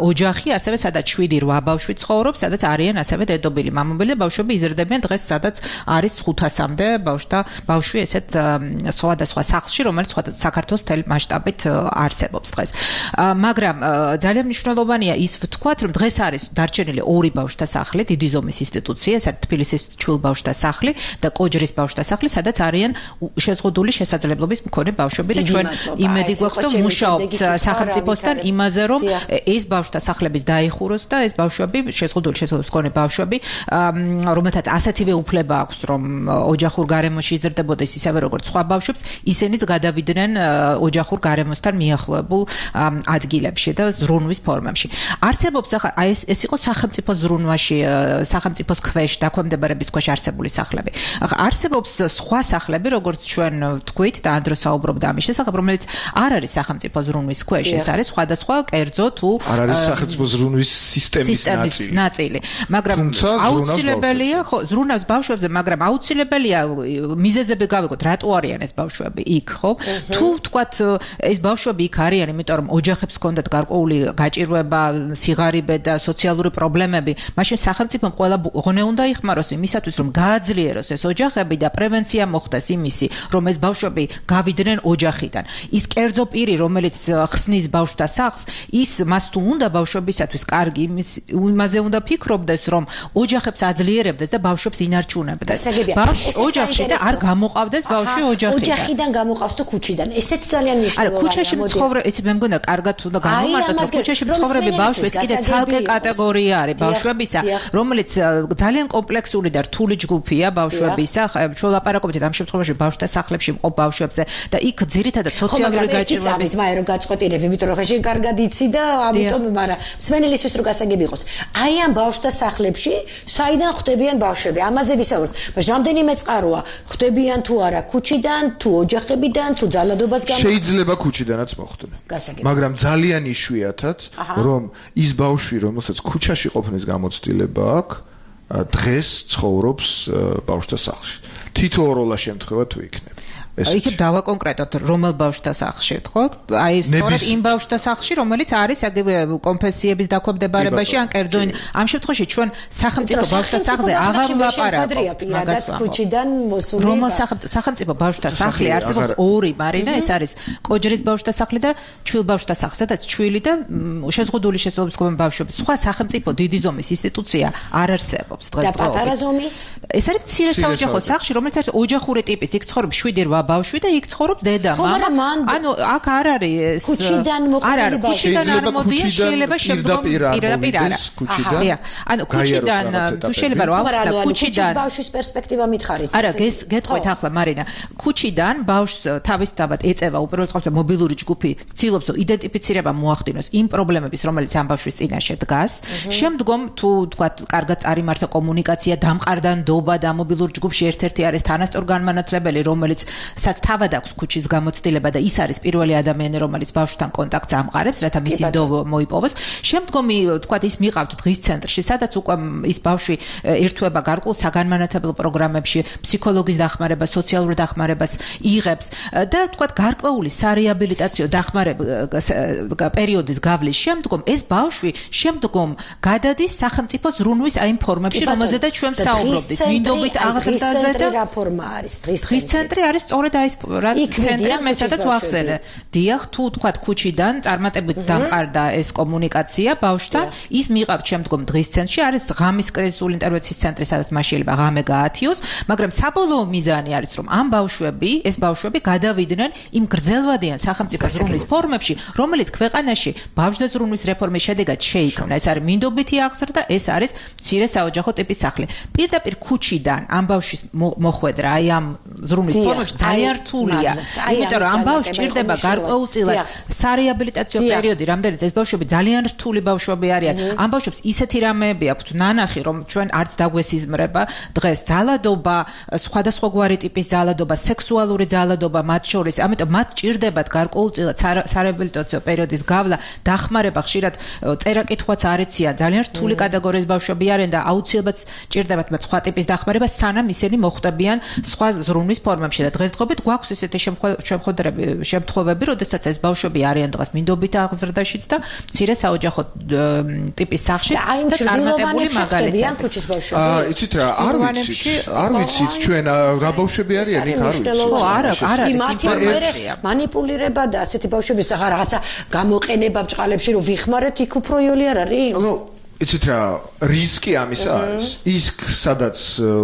ოჯახი ასევე სადაც 7-8 ბავშვი ცხოვრობს სადაც არიან ასევე დედობილი მამობელი და ბავშვები იზრდებიან დღეს სადაც არის 500-მდე ბავშვი ესეთ სხვადასხვა სახლში, რომელიც საქართველოს მთელი მასშტაბით არსებობს დღეს. მაგრამ ძალიან მნიშვნელოვანია ის ვთქვათ, რომ დღეს არის დარჩენილი 2 ბავშვთა სახლი, დიდი ზომის ინსტიტუცია, ეს არის თბილისის ჩვილ ბავშვთა სახლი და კოჯრის ბავშვთა სახლი, სადაც არიან შეზღუდული შესაძლებლობის მქონე ბავშვები და ჩვენ იმედი გვაქვს, რომ მუშაობთ სახელმწიფოსთან იმაზე, რომ ეს ბავშვთა სახლების დაიხუროს და ეს ბავშვები შეზღუდული შესაძლებლობის მქონე ბავშვები, რომელთაც ასეთივე უფლება აქვს, რომ ოჯახურ გარემოში იზრდებოდეს ისევე როგორც სხვა ბავშვებს, ისინიც გადავიდნენ ოჯახურ გარემოსთან მიახლოებულ ადგილებში და ზრუნვის ფორმებში. არსებობს აი ეს იყო სახელმწიფო ზრუნვაში, სახელმწიფოს ქვეშ დაქვემდებარების ქვეშ არსებული სახლები. არსებობს სხვა სახლები, როგორც ჩვენ ვთქვით და ანდრო საუბრობდა ამის შესახებ, რომელიც არ არის სახელმწიფო ზრუნვის ქვეშ, ეს არის სხვადასხვა კერძო თუ არ არის სახელმწიფო ზრუნვის სისტემის ნაწილი. მაგრამ აუცილებელია, ხო, ზრუნავს ბავშვებზე, მაგრამ აუცილებელია მიზეზები გავიგოთ, რატო არიან ეს ბავშვები იქ, ხო? თუ ვთქვათ, ეს ბავშვები იქ არიან, იმიტომ რომ ოჯახებს ჰქონდათ გარკვეული გაჭირვება, სიღარიბე და სოციალური პრობლემები, მაშინ სახელმწიფომ ყველა ღონე უნდა იხმაროს იმისათვის, რომ გააძლიეროს ეს ოჯახები და პრევენცია მოხდეს იმისი, რომ ეს ბავშვები გავიდნენ ოჯახიდან. ის კერძო პირი, რომელიც ხსნის ბავშვთა სახლს, მას თუ უნდა ბავშვებისათვის კარგი, იმაზე უნდა ფიქრობდეს, რომ ოჯახებს აძლიერებდეს და ბავშვებს ინარჩუნებდეს. ოჯახში და არ გამოყავდეს ბავშვი ოჯახიდან გამოყავს თუ ქუჩიდან. ესეც ძალიან მნიშვნელოვანია. არა, ქუჩაში მცხოვრები, ეს მე მგონია კარგად უნდა გამომარტოთ, რომ ქუჩაში მცხოვრები ბავშვი ეს კიდე ცალკე კატეგორია არის ბავშვებისა, რომელიც ძალიან კომპლექსური და რთული ჯგუფია ბავშვებისა. ჩვენ ლაპარაკობთ ამ შემთხვევაში ბავშვთა სახლებში მყოფ ბავშვებზე და იქ ძირითადად სოციალური გაჭირვების მე რომ გაწყვეტილებ, იმიტომ რომ ხეში კარგად იცი და ამიტომ მაგრამ მსმენელისთვის რო გასაგები იყოს. აი ამ ბავშვთა სახლებში საიდან ხვდებიან ბავშვები? ამაზე ვისაუბრეთ. მაგრამ რამდენიმე წყაროა ხვდებიან თუ არა ქუჩიდან, თუ ოჯახებიდან, თუ ძალადობას გამო. შეიძლება ქუჩიდანაც მოხვდნენ. მაგრამ ძალიან იშვიათად, რომ ის ბავშვი, რომელსაც ქუჩაში ყოფნის გამოცდილება აქვს, დღეს ცხოვრობს ბავშვთა სახლში. თითოეულა შემთხვევა თუ იქნება. იქ დავაკონკრეტოთ რომელ ბავშვთა სახლში, ხო? აი სწორედ იმ ბავშვთა სახლში, რომელიც არის აგივე კონფესიების დაქვემდებარებაში ან კერძო ამ შემთხვევაში ჩვენ სახელმწიფო ბავშვთა სახლზე აღარ ვლაპარაკობთ მაგას ქუჩიდან მოსული. რომელ სახელმწიფო ბავშვთა სახლი არსებობს 2, მარინა, ეს არის კოჯრის ბავშვთა სახლი და ჩვილ ბავშვთა სახლი, სადაც ჩვილი და შეზღუდული შესაძლებლობის მქონე ბავშვები. სხვა სახელმწიფო დიდი ზომის ინსტიტუცია არ არსებობს დღეს. და პატარა ზომის? ეს არის მცირე საოჯახო სახლი, რომელიც არის ოჯახური ტიპის, იქ ცხოვრობს 7-8 ბავშვი და იქ ცხოვრობს დედა, მამა. ანუ აქ არ არის ქუჩიდან მოყოლილი ბავშვი. ქუჩიდან არ მოდიან, შეიძლება შემდგომ პირდაპირ არა. ანუ ქუჩიდან თუ შეიძლება რომ ავხსნა ქუჩიდან ბავშვის პერსპექტივა მითხარით. არა, გეტყვით ახლა მარინა. ქუჩიდან ბავშვს თავისთავად ეწევა უპირველეს ყოვლისა მობილური ჯგუფი, ცდილობს რომ იდენტიფიცირება მოახდინოს იმ პრობლემების, რომელიც ამ ბავშვის წინაშე დგას. შემდგომ თუ თქვა კარგად წარიმართა კომუნიკაცია, დამყარდანდობა და მობილურ ჯგუფში ერთ-ერთი არის თანასწორგანმანათლებელი, რომელიც თავად აქვს ქუჩის გამოცდილება და ის არის პირველი ადამიანი, რომელიც ბავშვთან კონტაქტს ამყარებს, რათა მისი დო მოიპოვოს. შემდგომი, თქვა ის მიყავთ დღის ცენტრში, სადაც უკვე ის ბავშვი ერთვება გარკვეულ საგანმანათლებლო პროგრამებში, ფსიქოლოგის დახმარებას, სოციალურ დახმარებას იღებს და თქვა გარკვეული სარეაბილიტაციო დახმარება პერიოდის გავლის შემდგომ ეს ბავშვი შემდგომ გადადის სახელმწიფო ზრუნვის აი იმ ფორმებში, რომელზედაც ჩვენ საუბრობდით, მინდობით აღზრდაზე და რა ფორმა არის დღის ცენტრი არის სწორედ აი ეს ცენტრი მე სადაც ვახსენე. დიახ, თუ თქვა ქუჩიდან წარმატებით დამყარდა ეს კომუნიკაცია ბავშვთან, ის მიყავთ შემდგომ დღის ცენტრში, არის ღამის კრიზისული ინტერვენციის ცენტრი, სადაც მას შეიძლება ღამე გაათიოს, მაგრამ საბოლოო მიზანი არის, რომ ამ ეს ბავშვები გადავიდნენ იმ გრძელვადიან სახელმწიფო ზრუნვის ფორმებში, რომელიც ქვეყანაში ბავშვთა ზრუნვის რეფორმის შედეგად შეიქმნა. ეს არის მინდობითი აღზრდა, ეს არის მცირე საოჯახო ტიპის სახლი. პირდაპირ ქუჩიდან ამ ბავშვის მოხვედრა აი ამ ზრუნვის ფორმებში ძალიან რთულია. იმიტომ რომ ამ ბავშვს ჭირდება გარკვეულწილად სარეაბილიტაციო პერიოდი, რამდენიც ეს ბავშვები ძალიან რთული ბავშვები არიან. ამ ბავშვებს ისეთი რამეები აქვთ ნანახი, რომ ჩვენ არც დაგვესიზმრება დღეს ძალადობა, სხვადასხვაგვარი ტიპის ძალადობა, სექსუალური ძალადობა მათ შორის. ამიტომ მათ ჭირდებათ გარკვეულწილად სარეაბილიტაციო პერიოდის გავლა, დახმარება, ხშირად წერა-კითხვაც არ ეციან. ძალიან რთული კატეგორიის ბავშვები არიან და აუცილებლად ჭირდებათ მათ სხვა ტიპის დახმარება, სანამ ისინი მოხვდებიან სხვა ზრუნვის ფორმებში და დღესდღეობით გვაქვს ესეთი შემთხვევები, როდესაც ეს ბავშვები არიან დღეს მინდობით აღზრდაშიც და მცირე საოჯახო ტიპის სახლში და წარმატებული მაგალითია. იცით რა, არ ვიცით ჩვენ რა ბავშვები არიან, იქ არ ვიცით. ხო, არა, მანიპულირება და ასეთი ბავშვების რაღაცა გამოყენება ბჭყალებში რომ ვიხმარეთ, იქ უფრო იოლი არ არის? იცით რა, რისკი ამისა არის. ის სადაც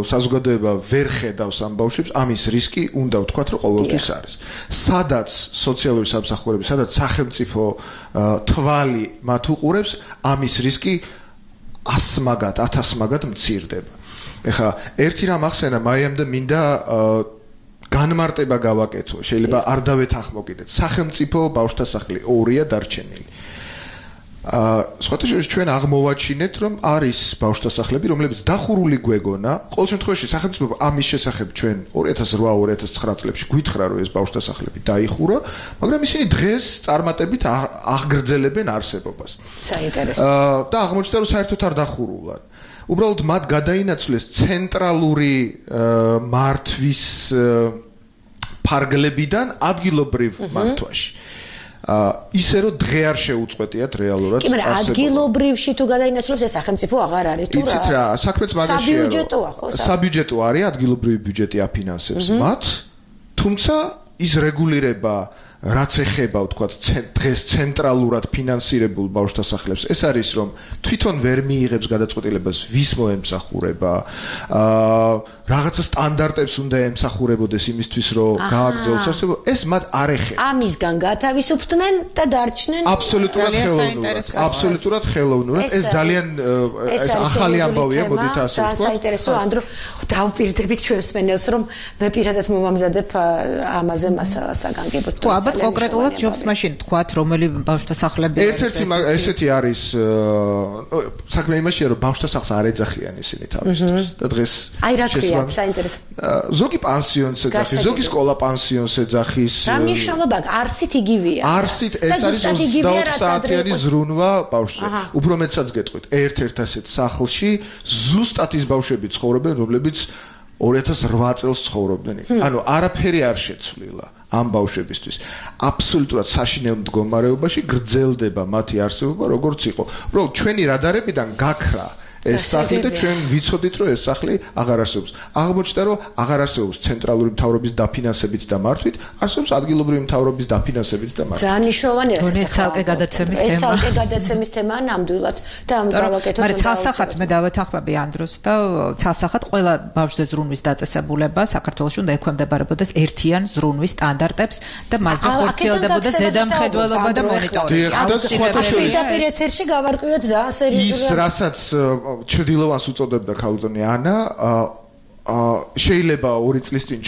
საზოგადოება ვერ ხედავს ამ ბავშვებს, ამის რისკი უნდა ვთქვათ, რომ ყოველთვის არის. სადაც სოციალური სამსახურები, სადაც სახელმწიფო თვალი მათ უყურებს, ამის რისკი 100 მაგად, 1000 მაგად მცირდება. ეხლა ერთი რამ ახსენა, მაიამდე მინდა განმარტება გავაკეთო. შეიძლება არ დავეთანხმო კიდეც. სახელმწიფო ბავშვთა სახლი 2-ია დარჩენილი. სხვათა შორის ჩვენ აღმოვაჩინეთ, რომ არის ბავშვთა სახლები, რომლებიც დახურული გვეგონა. ყოველ შემთხვევაში სახელმწიფო ამის შესახებ ჩვენ 2008-2009 წლებში გვითხრა, რომ ეს ბავშვთა სახლები დაიხურა, მაგრამ ისინი დღეს წარმატებით აღგრძელებენ არსებობას. საინტერესო. და აღმოჩნდა, რომ საერთოდ არ დახურულან. უბრალოდ მათ გადაინაცვლეს ცენტრალური მართვის ფარგლებიდან ადგილობრივ მართვაში. ისე რომ დღე არ შეუწყვეტიათ რეალურად. კი, მაგრამ ადგილობრივში თუ გადაინაცვლებს ეს სახელმწიფო აღარ არის თუ რა? იცით რა, საქმეც მაგაშია. საბიუჯეტოა ხო? საბიუჯეტო არის, ადგილობრივი ბიუჯეტი აფინანსებს მათ, თუმცა ის რეგულირება რაც ეხება, ვთქვათ, დღეს ცენტრალურად ფინანსირებულ ბავშვთა სახლებს, ეს არის, რომ თვითონ ვერ მიიღებს გადაწყვეტილებას, ვის მოემსახურება, რაღაცა სტანდარტებს უნდა ემსახურებოდეს იმისთვის, რომ გააგრძელოს არსებობა, ეს მათ არ ეხება. ამისგან გათავისუფლდნენ და დარჩნენ აბსოლუტურად ხელოვნურად. ეს ძალიან ეს ახალი ამბავია, მოდით ასე ვთქვათ. საინტერესო, ანდრო, დავპირდებით ჩვენს მენელს, რომ მე პირადად მომამზადებ ამაზე მასალას აგანგებოთ. თუ ალბათ კონკრეტულად ჯობს მაშინ თქვათ, რომელი ბავშვთა სახლები ერთ-ერთი ესეთი არის საქმე იმაშია, რომ ბავშვთა სახლს არ ეძახიან ისინი თავისთვის. და დღეს აი რა ქვია, საინტერესო. ზოგი პანსიონს ეძახის, ზოგი სკოლა პანსიონს ეძახის. რა მნიშვნელობა აქვს? არსით იგივეა. არსით ეს არის 24 საათიანი ზრუნვა ბავშვზე. უფრო მეტსაც გეტყვით, ერთ-ერთ ასეთ სახლში ზუსტად ის ბავშვები ცხოვრობენ, რომლებიც 2008 წელს ცხოვრობდნენ. ანუ არაფერი არ შეცვლილა ამ ბავშვებისთვის. აბსოლუტურად საშინელ მდგომარეობაში გრძელდება მათი არსებობა, როგორც იყო. უბრალოდ ჩვენი რადარებიდან გაქრა ეს სახლი და ჩვენ ვიცოდით, რომ ეს სახლი აღარ არსებობს. აღმოჩნდა, რომ აღარ არსებობს ცენტრალური მთავრობის დაფინანსებით და მართვით, არსებობს ადგილობრივი მთავრობის დაფინანსებით და მართვით. ძალიან მნიშვნელოვანია ეს ცალკე გადაცემის თემა. ეს ცალკე გადაცემის თემაა ნამდვილად და ამ გავაკეთოთ. მაგრამ ცალსახად მე დავეთანხმები ანდროს და ცალსახად ყველა ბავშვზე ზრუნვის დაწესებულება საქართველოში უნდა ექვემდებარებოდეს ერთიან ზრუნვის სტანდარტებს და მასზე ხორციელდებოდა ზედამხედველობა და მონიტორინგი. პირდაპირ ეთერში გავარკვიოთ ძალიან სერიოზულად. ის რასაც ჩრდილოვანს უწოდებდა ქალბატონი ანა, შეიძლება 2 წლის წინ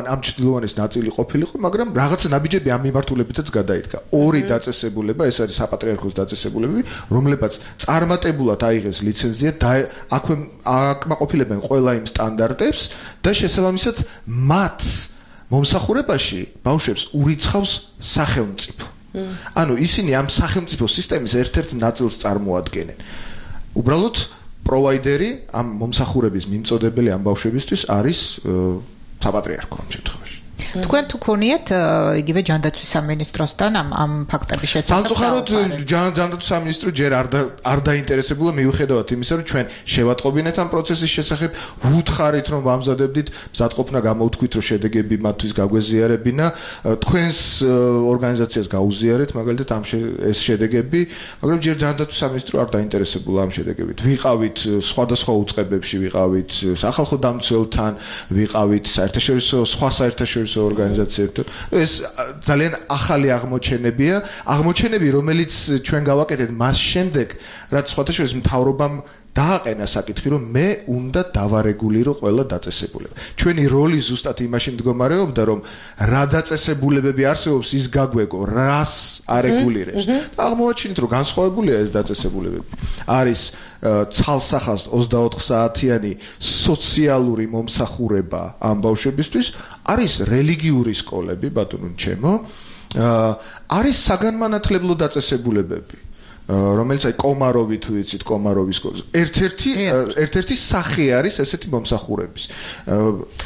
ამ ჩრდილოვანის ნაწილი ყოფილიყო, მაგრამ რაღაცა ნაბიჯები ამ მიმართულებითაც გადაიდგა. 2 დაწესებულება, ეს არის საპატრიარქოს დაწესებულებები, რომლებაც წარმატებულად აიღეს ლიცენზია და აკმაყოფილებენ ყველა იმ სტანდარტებს და შესაბამისად მათ მომსახურებაში ბავშვებს ურიცხავს სახელმწიფო. ანუ ისინი ამ სახელმწიფო სისტემის ერთ-ერთ ნაწილს წარმოადგენენ. უბრალოდ პროვაიდერი ამ მომსახურების მიმწოდებელი ამ ბავშვებისთვის არის საპატრიარქო ამ შემთხვევაში. თქვენ თუ ქონიათ იგივე ჯანდაცვის სამინისტროსთან ამ ფაქტების შესახებ? სამწუხაროდ ჯანდაცვის სამინისტრო ჯერ არ დაინტერესებულა, მიუხედავად იმისა, რომ ჩვენ შევატყობინეთ ამ პროცესის შესახებ, ვუთხარით, რომ ვამზადებდით მზადყოფნა, გამოვთქვით, რომ შედეგები მათთვის გაგვეზიარებინა, თქვენს ორგანიზაციას გაუზიარეთ, მაგალითად ეს შედეგები, მაგრამ ჯერ ჯანდაცვის სამინისტრო არ დაინტერესებულა ამ შედეგებით. ვიყავით სხვადასხვა უწყებებში, ვიყავით სახალხო დამცველთან, ვიყავით სხვა საერთაშორისო ორგანიზაციებთან. ეს ძალიან ახალი აღმოჩენები, რომელიც ჩვენ გავაკეთეთ მას შემდეგ, რაც სხვათა შორის მთავრობამ დააყენა საკითხი, რომ მე უნდა დავარეგულირო ყველა დაწესებულება. ჩვენი როლი ზუსტად იმაში მდგომარეობდა, რომ რა დაწესებულებები არსებობს, ის გაგვეგო, რას არეგულირებს. აღმოაჩინეთ, რომ განსხვავებულია ეს დაწესებულებები. არის ცალსახას 24 საათიანი სოციალური მომსახურება ამ ბავშვებისთვის, არის რელიგიური სკოლები, ბატონო ჩემო, არის საგანმანათლებლო დაწესებულებები. რომელიც აი კომაროვი თუ იცით კომაროვის ერთ-ერთი სახე არის ესეთი მომსახურების.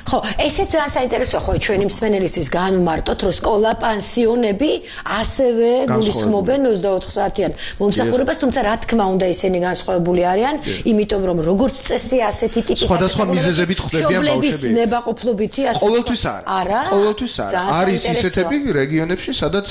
ხო, ესეც ძალიან საინტერესოა ხო ჩვენი მსმენელისთვის განვმარტოთ, რომ სკოლა, პანსიონები ასევე გულისხმობენ 24 საათიან მომსახურებას, თუმცა რა თქმა უნდა ისინი განსხვავებული არიან, იმიტომ რომ როგორც წესი ასეთი ტიპის სხვადასხვა მიზეზებით ხდებიან ბავშვები. ნებაყოფლობითი ასე. ყოველთვის არა. ყოველთვის არა. არის ისეთები რეგიონებში, სადაც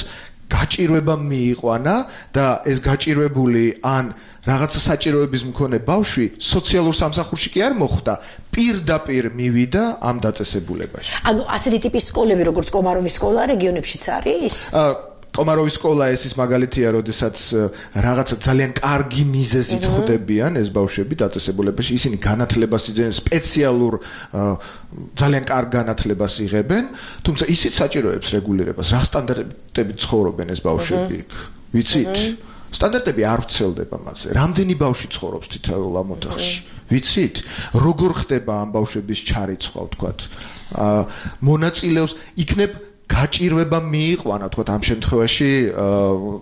გაჭირვება მიიყვანა და ეს გაჭირვებული ან რაღაცა საჭიროების მქონე ბავშვი სოციალურ სამსახურში კი არ მოხვდა, პირდაპირ მივიდა ამ დაწესებულებაში. ანუ ასეთი ტიპის სკოლები, როგორც კომაროვის სკოლა, რეგიონებშიც არის? კომაროვის სკოლა ეს ის მაგალითია, როდესაც რაღაცა ძალიან კარგი მიზეზით ხდებიან ეს ბავშვები დაწესებულებაში, ისინი განათლებას იძენენ სპეციალურ ძალიან კარგ განათლებას იღებენ, თუმცა ისიც საჭიროებს რეგულირებას, რა სტანდარტებით ცხოვრობენ ეს ბავშვები, ვიცით? სტანდარტები არ ვრცელდება მასზე. რამდენი ბავშვი ცხოვრობს თითოეულ ამ ოთახში? ვიცით? როგორ ხდება ამ ბავშვების ჩარიცხვა, ვთქვათ? მონაწილეობს იქნებ გაჭირვება მიიყვანა, თქვათ ამ შემთხვევაში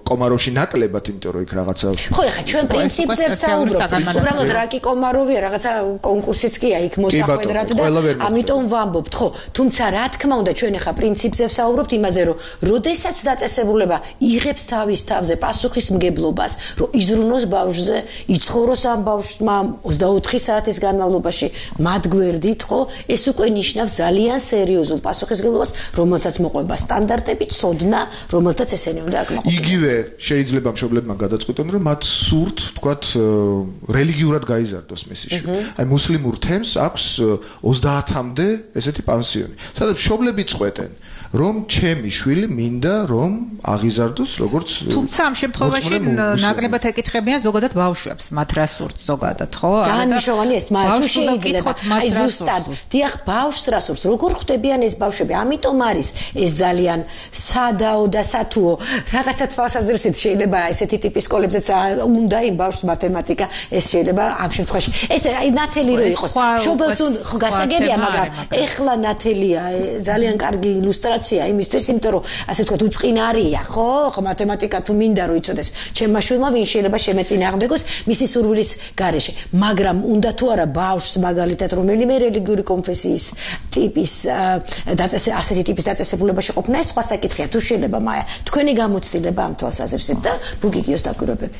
კომაროვში ნაკლებად, იმიტომ რომ იქ რაღაცა ხო, ეხლა ჩვენ პრინციპზე ვსაუბრობთ. უბრალოდ რა კი კომაროვია, რაღაცა კონკურსიც კია იქ მოსახვედრად და ამიტომ ვამბობთ, ხო, თუმცა რა თქმა უნდა ჩვენ ეხლა პრინციპზე ვსაუბრობთ იმაზე, რომ როდესაც დაწესებულება იღებს თავის თავზე პასუხისმგებლობას, რომ იზრუნოს ბავშვზე, იცხოვროს ამ ბავშვმა 24 საათის განმავლობაში მათ გვერდით, ხო, ეს უკვე ნიშნავს ძალიან სერიოზულ პასუხისმგებლობას, რომელსაც მოყვება სტანდარტები, ცოდნა, რომელთაც ესენი უნდა აკმაყოფილონ. იგივე შეიძლება მშობლებმა გადაწყვიტონ, რომ მათ სურთ, თქვათ, რელიგიურად გაიზარდოს მისი შვილი. აი მუსლიმურ თემს აქვს 30-მდე ესეთი პანსიონი. სადაც მშობლები წყვეტენ, რომ ჩემი შვილი მინდა რომ აღიზარდოს როგორც თუმცა ამ შემთხვევაში ნაკლებად ეკითხებიან ზოგადად ბავშვებს, მათ რა სურთ ზოგადად, ხო? ძალიან მნიშვნელოვანია ეს, მაგრამ თუ შეიძლება აი ზუსტად, დიახ, ბავშვს რა სურს, როგორ ხვდებიან ეს ბავშვები? ამიტომ არის ეს ძალიან სადაო და სათუო. რაღაცა თვალსაზრისით შეიძლება ესეთი ტიპის სკოლებზეც უნდა იმ ბავშვს მათემატიკა, ეს შეიძლება ამ შემთხვევაში. ეს აი ნათელი რო იყოს. მშობელს ხო გასაგებია, მაგრამ ეხლა ნათელია ძალიან კარგი ილუსტრაცია იმისთვის, იმიტომ რომ ასე ვთქვათ, უწყინარია, ხო? ხო მათემატიკა თუ მინდა რომ იცოდეს, ჩემმა შვილმა ვინ შეიძლება შემეწინააღმდეგოს მისი სურვილის გარეშე, მაგრამ უნდა თუ არა ბავშვს მაგალითად რომელიმე რელიგიური კონფესიის ტიპის ასეთი ტიპის დაწესებულებაში ყოფნა, ეს სხვა საკითხია, თუ შეიძლება მაია თქვენი გამოცდილება ამ თვალსაზრისით და ბუგიგიოს დაკვირვებები.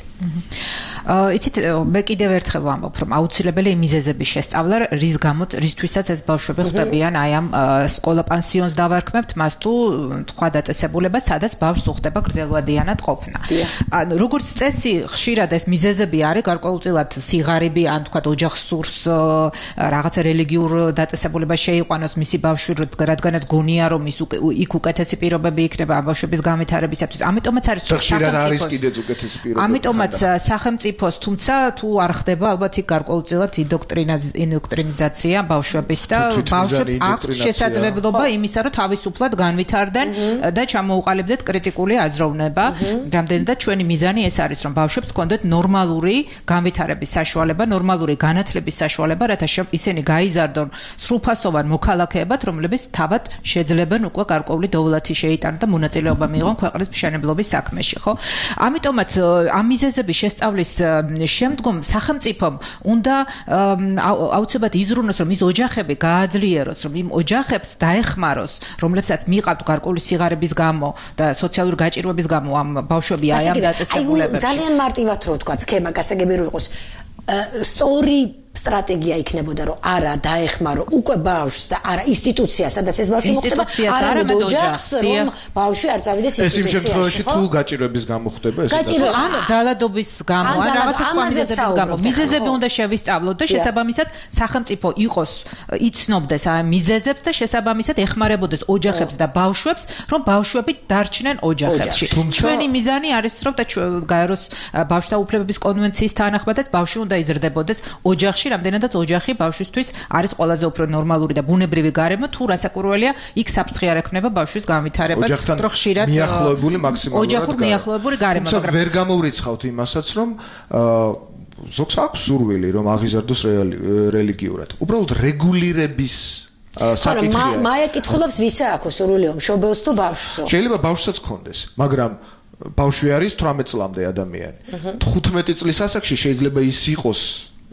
იცით, მე კიდევ ერთხელ ვამბობ, რომ აუცილებელი მიზეზების შესწავლა, რისთვისაც ეს ბავშვები ხვდებიან აი ამ სკოლა პანსიონს დავარქმევთ, მას თუ თქვა დაწესებულება, სადაც ბავშვს უხდება გრძელვადიანად ყოფნა. ანუ როგორც წესი, ხშირად ეს მიზეზები არის გარკვეულწილად სიღარიბი, ან თქვა ოჯახს სურს რაღაცა რელიგიურ დაწესებულებას შეიყვანოს მისი ბავშვი, რადგანაც გონია რომ იქ უკეთესი პირობები იქნება ამ ბავშვების განვითარებისათვის. ამიტომაც არის სახელმწიფოს, თუმცა თუ არ ხდება ალბათ იქ გარკვეულწილად ინდოქტრინიზაცია ბავშვების და ბავშვებს აქვს შესაძლებლობა იმისა, რომ თავისუფლად განვითარდნენ და ჩამოუყალიბდეთ კრიტიკული აზროვნება. რამდენადაც ჩვენი მიზანი ეს არის, რომ ბავშვებს ჰქონდეთ ნორმალური განვითარების საშუალება, ნორმალური განათლების საშუალება, რათა ისინი გაიზარდონ სრულფასოვან მოქალაქეებად, რომლებიც თავად შეძლებენ უკვე გარკვეული დოვლათი შეიტანონ და მონაწილეობა მიიღონ ქვეყნის მშენებლობის საქმეში, ხო? ამიტომაც ამ მიზეზების შესწავლის შემდგომ სახელმწიფომ უნდა აუცილებლად იზრუნოს, რომ ის ოჯახები გააძლიეროს, რომ იმ ოჯახებს დაეხმაროს, რომლებსაც მიყავთ გარკვეული სიღარიბის გამო და სოციალური გაჭირვების გამო ამ ბავშვები აი ამ დაწესებულებებში. ძალიან მარტივად რო ვთქვა, სქემა გასაგები რო იყოს. სწორი სტრატეგია იქნებოდა რომ არა დაეხმარო უკვე ბავშვს და არა ინსტიტუცია სადაც ეს ბავშვი მოხდება არამედ ოჯახს რომ ბავშვი არ წავიდეს ინსტიტუციაში. ეს იმ შემთხვევაში თუ გაჭირვების გამო ხდება ეს ან ძალადობის გამო ან რაღაცა სხვა მიზეზების გამო მიზეზები უნდა შევისწავლოთ და შესაბამისად სახელმწიფო იყოს იცნობდეს ამ მიზეზებს და შესაბამისად ეხმარებოდეს ოჯახებს და ბავშვებს რომ ბავშვები დარჩნენ ოჯახებში. ჩვენი მიზანი არის რომ და გაეროს ბავშვთა უფლებების კონვენციის თანახმადაც ბავშვი უნდა იზრდებოდეს ოჯახში, რამდენადაც ოჯახი ბავშვისთვის არის ყველაზე უფრო ნორმალური და ბუნებრივი გარემო, თუ რასაკვირველია, იქ საფრთხე არ ექმნება ბავშვის განვითარებას, უფრო ხშირად მიახლოებული მაქსიმალურად ოჯახურ მიახლოებული გარემო. თუმცა ვერ გამოვრიცხავთ იმასაც, რომ ზოგს აქვს სურვილი, რომ აღიზარდოს რელიგიურად. უბრალოდ რეგულირების საკითხია. მაია კითხულობს ვისა აქვს სურვილი, მშობელს თუ ბავშვსო? შეიძლება ბავშვსაც ქონდეს, მაგრამ ბავშვი არის 18 წლამდე ადამიანი. 15 წლის ასაკში შეიძლება ის იყოს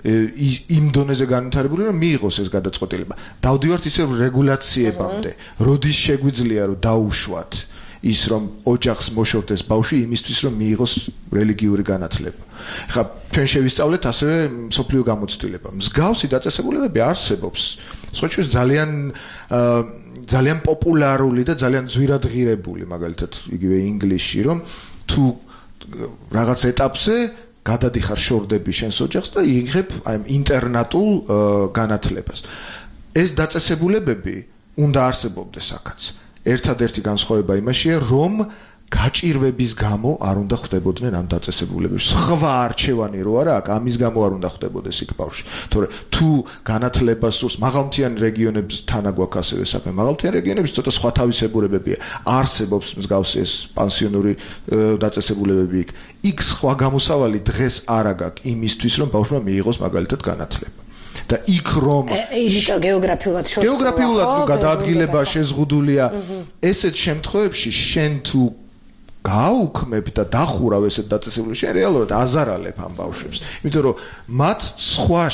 იმ დონეზე განვითარებული რომ მიიღოს ეს გადაწყვეტილება. დავდივართ ისე რეგულაციებამდე, როდის შეგვიძლია რომ დაუშვათ ის რომ ოჯახს მოშორდეს ბავშვი იმისთვის რომ მიიღოს რელიგიური განათლება. ხა ჩვენ შევისწავლეთ ასევე მსოფლიო გამოცდილება. მსგავსი დაწესებულებები არსებობს. სხვათა ძალიან პოპულარული და ძალიან ძვირადღირებული, მაგალითად, იგივე ინგლისში, რომ თუ რაღაც ეტაპზე გადადიხარ შორდები შენს ოჯახს და იღებ აი ინტერნატულ განათლებას. ეს დაწესებულებები უნდა არსებობდეს აქაც. ერთადერთი განსხვავება იმაშია, რომ გაჭირვების გამო არ უნდა ხდებოდნენ ამ დაწესებულებებში. სხვა არჩევანი რო არა აქ, ამის გამო არ უნდა ხდებოდეს იქ ბავშვი. თორე თუ განათლებას სურს მაღალმთიან რეგიონებთან აგვაქვს ასევე საქმე. მაღალმთიან რეგიონებში ცოტა სხვა თავისებურებებია. არსებობს მსგავსი ეს პანსიონური დაწესებულებები იქ. იქ სხვა გამოსავალი დღეს არ აქვს იმისთვის, რომ ბავშვმა მიიღოს მაგალითად განათლება. და იქ რომ იმიტომ გეოგრაფიულად შორს გეოგრაფიულად გადაადგილება შეზღუდულია ესეთ შემთხვევებში შენ თუ გააუქმებ და დახურავ ესეთ დაწესებულებებში რეალურად აზარალებ ამ ბავშვებს იმიტომ რომ მათ სხვა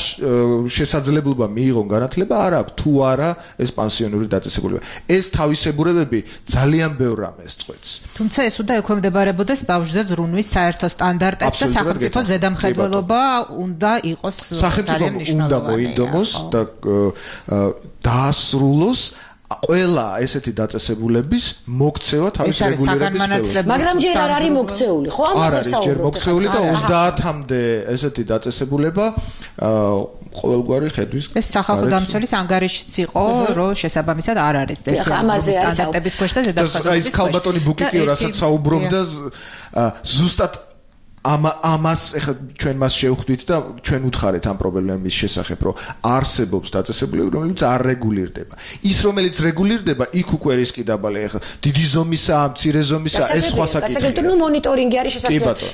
შესაძლებლობა მიიღონ განათლება არ აქვს თუ არა ეს პანსიონური დაწესებულება ეს თავისებურებები ძალიან ბევრ რამეს წყვეტს თუმცა ეს უნდა ექვემდებარებოდეს ბავშვზე ზრუნვის საერთო სტანდარტებს და სახელმწიფო ზედამხედველობა უნდა იყოს სახელმწიფომ უნდა მოინდომოს და დაასრულოს ყველა ესეთი დაწესებულების მოქცევა თავის რეგულირების მაგრამ ჯერ არ არის მოქცეული ხო ამაზე საუბრობთ ჯერ მოქცეული და 30-მდე ესეთი დაწესებულება ყოველგვარი ხედვის ეს სახალხო დამცველის ანგარიშიც იყო რომ შესაბამისად არ არის სტანდარტების ქვეშ და ზედამხედველობის ეს ქალბატონი ბუკიკიო რასაც საუბრობდა ზუსტად ამას ეხლა ჩვენ მას შევხვდით და ჩვენ უთხარეთ ამ პრობლემის შესახებ რომ არსებობს დაწესებულება რომელიც არ რეგულირდება ის რომელიც რეგულირდება იქ უკვე რისკი დაბალია ეხლა დიდი ზომისაა მცირე ზომისაა ეს სხვა საკითხია საკითხი ნუ მონიტორინგი არის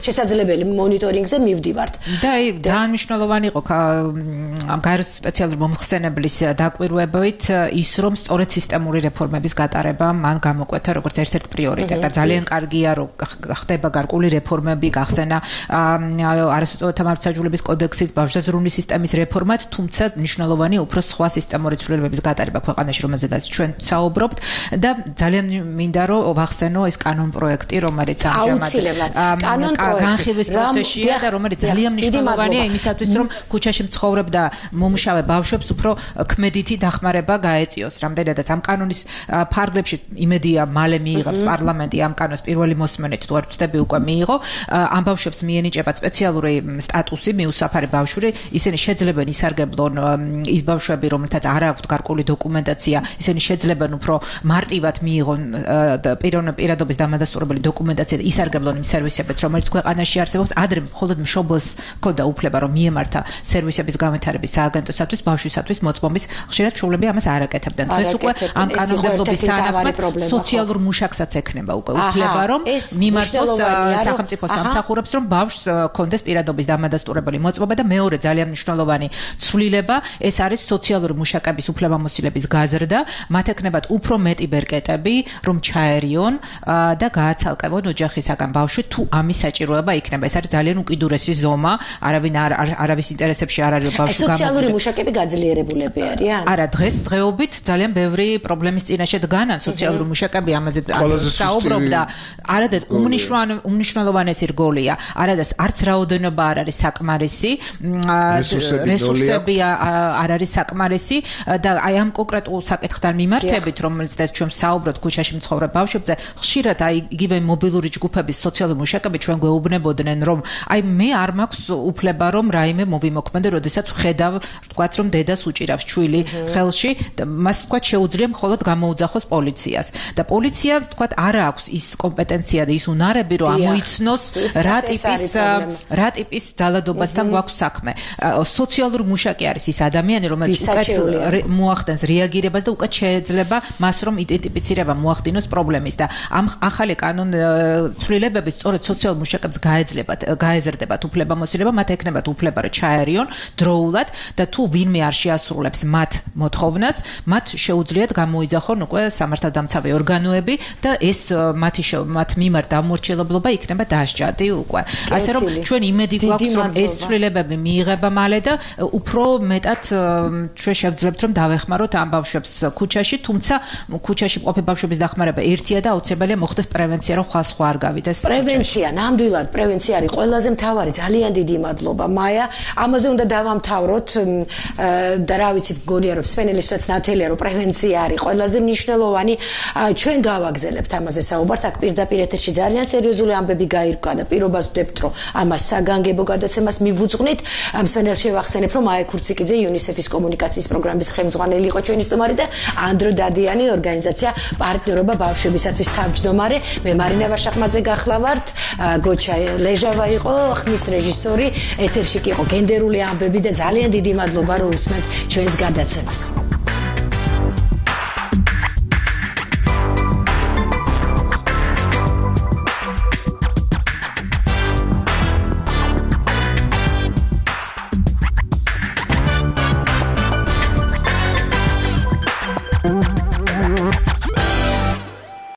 შესაძლებელი მონიტორინგზე მივდივართ და ძალიან მნიშვნელოვანი იყო ამ გაეროს სპეციალური მომხსენებლის დაკვირვებით ის რომ სწორედ სისტემური რეფორმების გატარება მან გამოკვეთა როგორც ერთ-ერთი პრიორიტეტი და ძალიან კარგია რომ ხდება გარკვეული რეფორმები გახსენა არასოციალურთა მართლმსაჯულების კოდექსის ბავშვთა ზრუნვის სისტემის რეფორმაც, თუმცა მნიშვნელოვანია უფრო სხვა სისტემური ცვლილებების გატარება ქვეყანაში, რომელზედაც ჩვენ საუბრობთ და ძალიან მინდა რომ ვახსენო ეს კანონ პროექტი, რომელიც ამჟამად განხილვის პროცესშია და რომელიც ძალიან მნიშვნელოვანია იმისათვის, რომ ქუჩაში მცხოვრებ და მომუშავე ბავშვებს უფრო ქმედითი დახმარება გაეწიოს. რამდენადაც ამ კანონის ფარგლებში იმედია მალე მიიღებს პარლამენტი ამ კანონს პირველი მოსმენით თუ არ ვწდები უკვე მიიღო ამ ბავშვებს მიენიჭებათ სპეციალური სტატუსი მიუსაფარი ბავშვი ისინი შეძლებენ ისარგებლონ ის ბავშვები რომელთაც არ აქვთ გარკვეული დოკუმენტაცია ისინი შეძლებენ უფრო მარტივად მიიღონ პირადობის დამადასტურებელი დოკუმენტაცია და ისარგებლონ იმ სერვისებით რომელიც ქვეყანაში არსებობს ადრე მხოლოდ მშობელს ჰქონდა უფლება რომ მიემართა სერვისების განვითარების სააგენტოსათვის ბავშვისათვის მოწმობის ხშირად შუვლები ამას არ აკეთებდნენ დღეს უკვე ამ კანონმდებლობის თანახმად სოციალურ მუშაკსაც ექნება უკვე უფლება რომ მიმართოს სახელმწიფო სამსახურებს რომ ბავშვს კონდეს პირადობის დამადასტურებელი მოწმობა და მეორე ძალიან მნიშვნელოვანი ცვლილება ეს არის სოციალური მუშაკების უფლებამოსილების გაზრდა მათ ექნებათ უფრო მეტი ბერკეტები რომ ჩაერიონ და გააცალკევონ ოჯახისაგან ბავშვი თუ ამის საჭიროება იქნება ეს არის ძალიან უკიდურესი ზომა არავის ინტერესებში არ არის ბავშვი სოციალური მუშაკები გაძლიერებულები არიან არა დღესდღეობით ძალიან ბევრი პრობლემის წინაშე დგანან სოციალური მუშაკები ამაზე საუბრობდა არადეთ უმნიშვნელოვანესი რგოლია არადას არც რაოდენობა არ არის საკმარისი, რესურსები არ არის საკმარისი და აი ამ კონკრეტულ საკითხთან მიმართებით, რომელზეც ჩვენ საუბრობთ ქუჩაში მცხოვრებ ბავშვებზე, ხშირად აი იგივე მობილური ჯგუფების სოციალური მუშაკები ჩვენ გვეუბნებოდნენ, რომ აი მე არ მაქვს უფლება რომ რაიმე მოვიმოქმედო, როდესაც ვხედავ, ვთქვათ, რომ დედას უჭირავს ჩვილი ხელში, მას ვთქვათ შეუძლია მხოლოდ გამოუძახოს პოლიციას და პოლიცია ვთქვათ არ აქვს ის კომპეტენცია და ის უნარები, რომ ამოიცნოს რა ტიპის ძალადობასთან გვაქვს საქმე. სოციალურ მუშაკი არის ის ადამიანი, რომელიც უკეთ მოახდენს რეაგირებას და უკეთ შეეძლება მას რომ იდენტიფიცირება მოახდინოს პრობლემის და ამ ახალი კანონცვლილებები სწორედ სოციალურ მუშაკებს გაეზრდებათ უფლებამოსილება, მათ ექნებათ უფლება რომ ჩაერიონ დროულად და თუ ვინმე არ შეასრულებს მათ მოთხოვნას, მათ შეუძლიათ გამოიძახონ უკვე სამართალდამცავი ორგანოები და ეს მათ მიმართ დამორჩილებლობა იქნება დასჯადი უკვე. ასე რომ ჩვენ იმედი გვაქვს რომ ეს ცვლილებები მიიღება მალე და უფრო მეტად ჩვენ შევძლებთ რომ დავეხმაროთ ამ ბავშვებს ქუჩაში, თუმცა ქუჩაში მყოფი ბავშვების დახმარება ერთია და აუცილებელია მოხდეს პრევენცია, რომ სხვა არ გავიდეს. პრევენცია, ნამდვილად პრევენცია არის ყველაზე მთავარი. ძალიან დიდი მადლობა მაია. ამაზე უნდა დავამთავროთ და რა ვიცი, გონია რომ სპენელისთვისაც ნათელია რომ პრევენცია არის ყველაზე მნიშვნელოვანი. ჩვენ გავაგზავნებთ ამაზე საუბარს, აქ პირდაპირ ეთერში ძალიან სერიოზული ამბები გაირკვა და პირობას ვდებთ რომ ამას საგანგებო გადაცემას მივუძღვნით. მსმენელს შევახსენებ რომ მაია ქურციკიძე UNICEF-ის კომუნიკაციის პროგრამის ხელმძღვანელი იყო ჩვენი სტუმარი და ანდრო დადიანი ორგანიზაცია პარტნიორობა ბავშვებისათვის თავმჯდომარე. მე მარინა ვაშახმაძე გახლავართ, გოჩა ლეჟავა იყო ხმის რეჟისორი, ეთერში კი იყო გენდერული ამბები და ძალიან დიდი მადლობა რომ უსმენთ ჩვენს გადაცემას.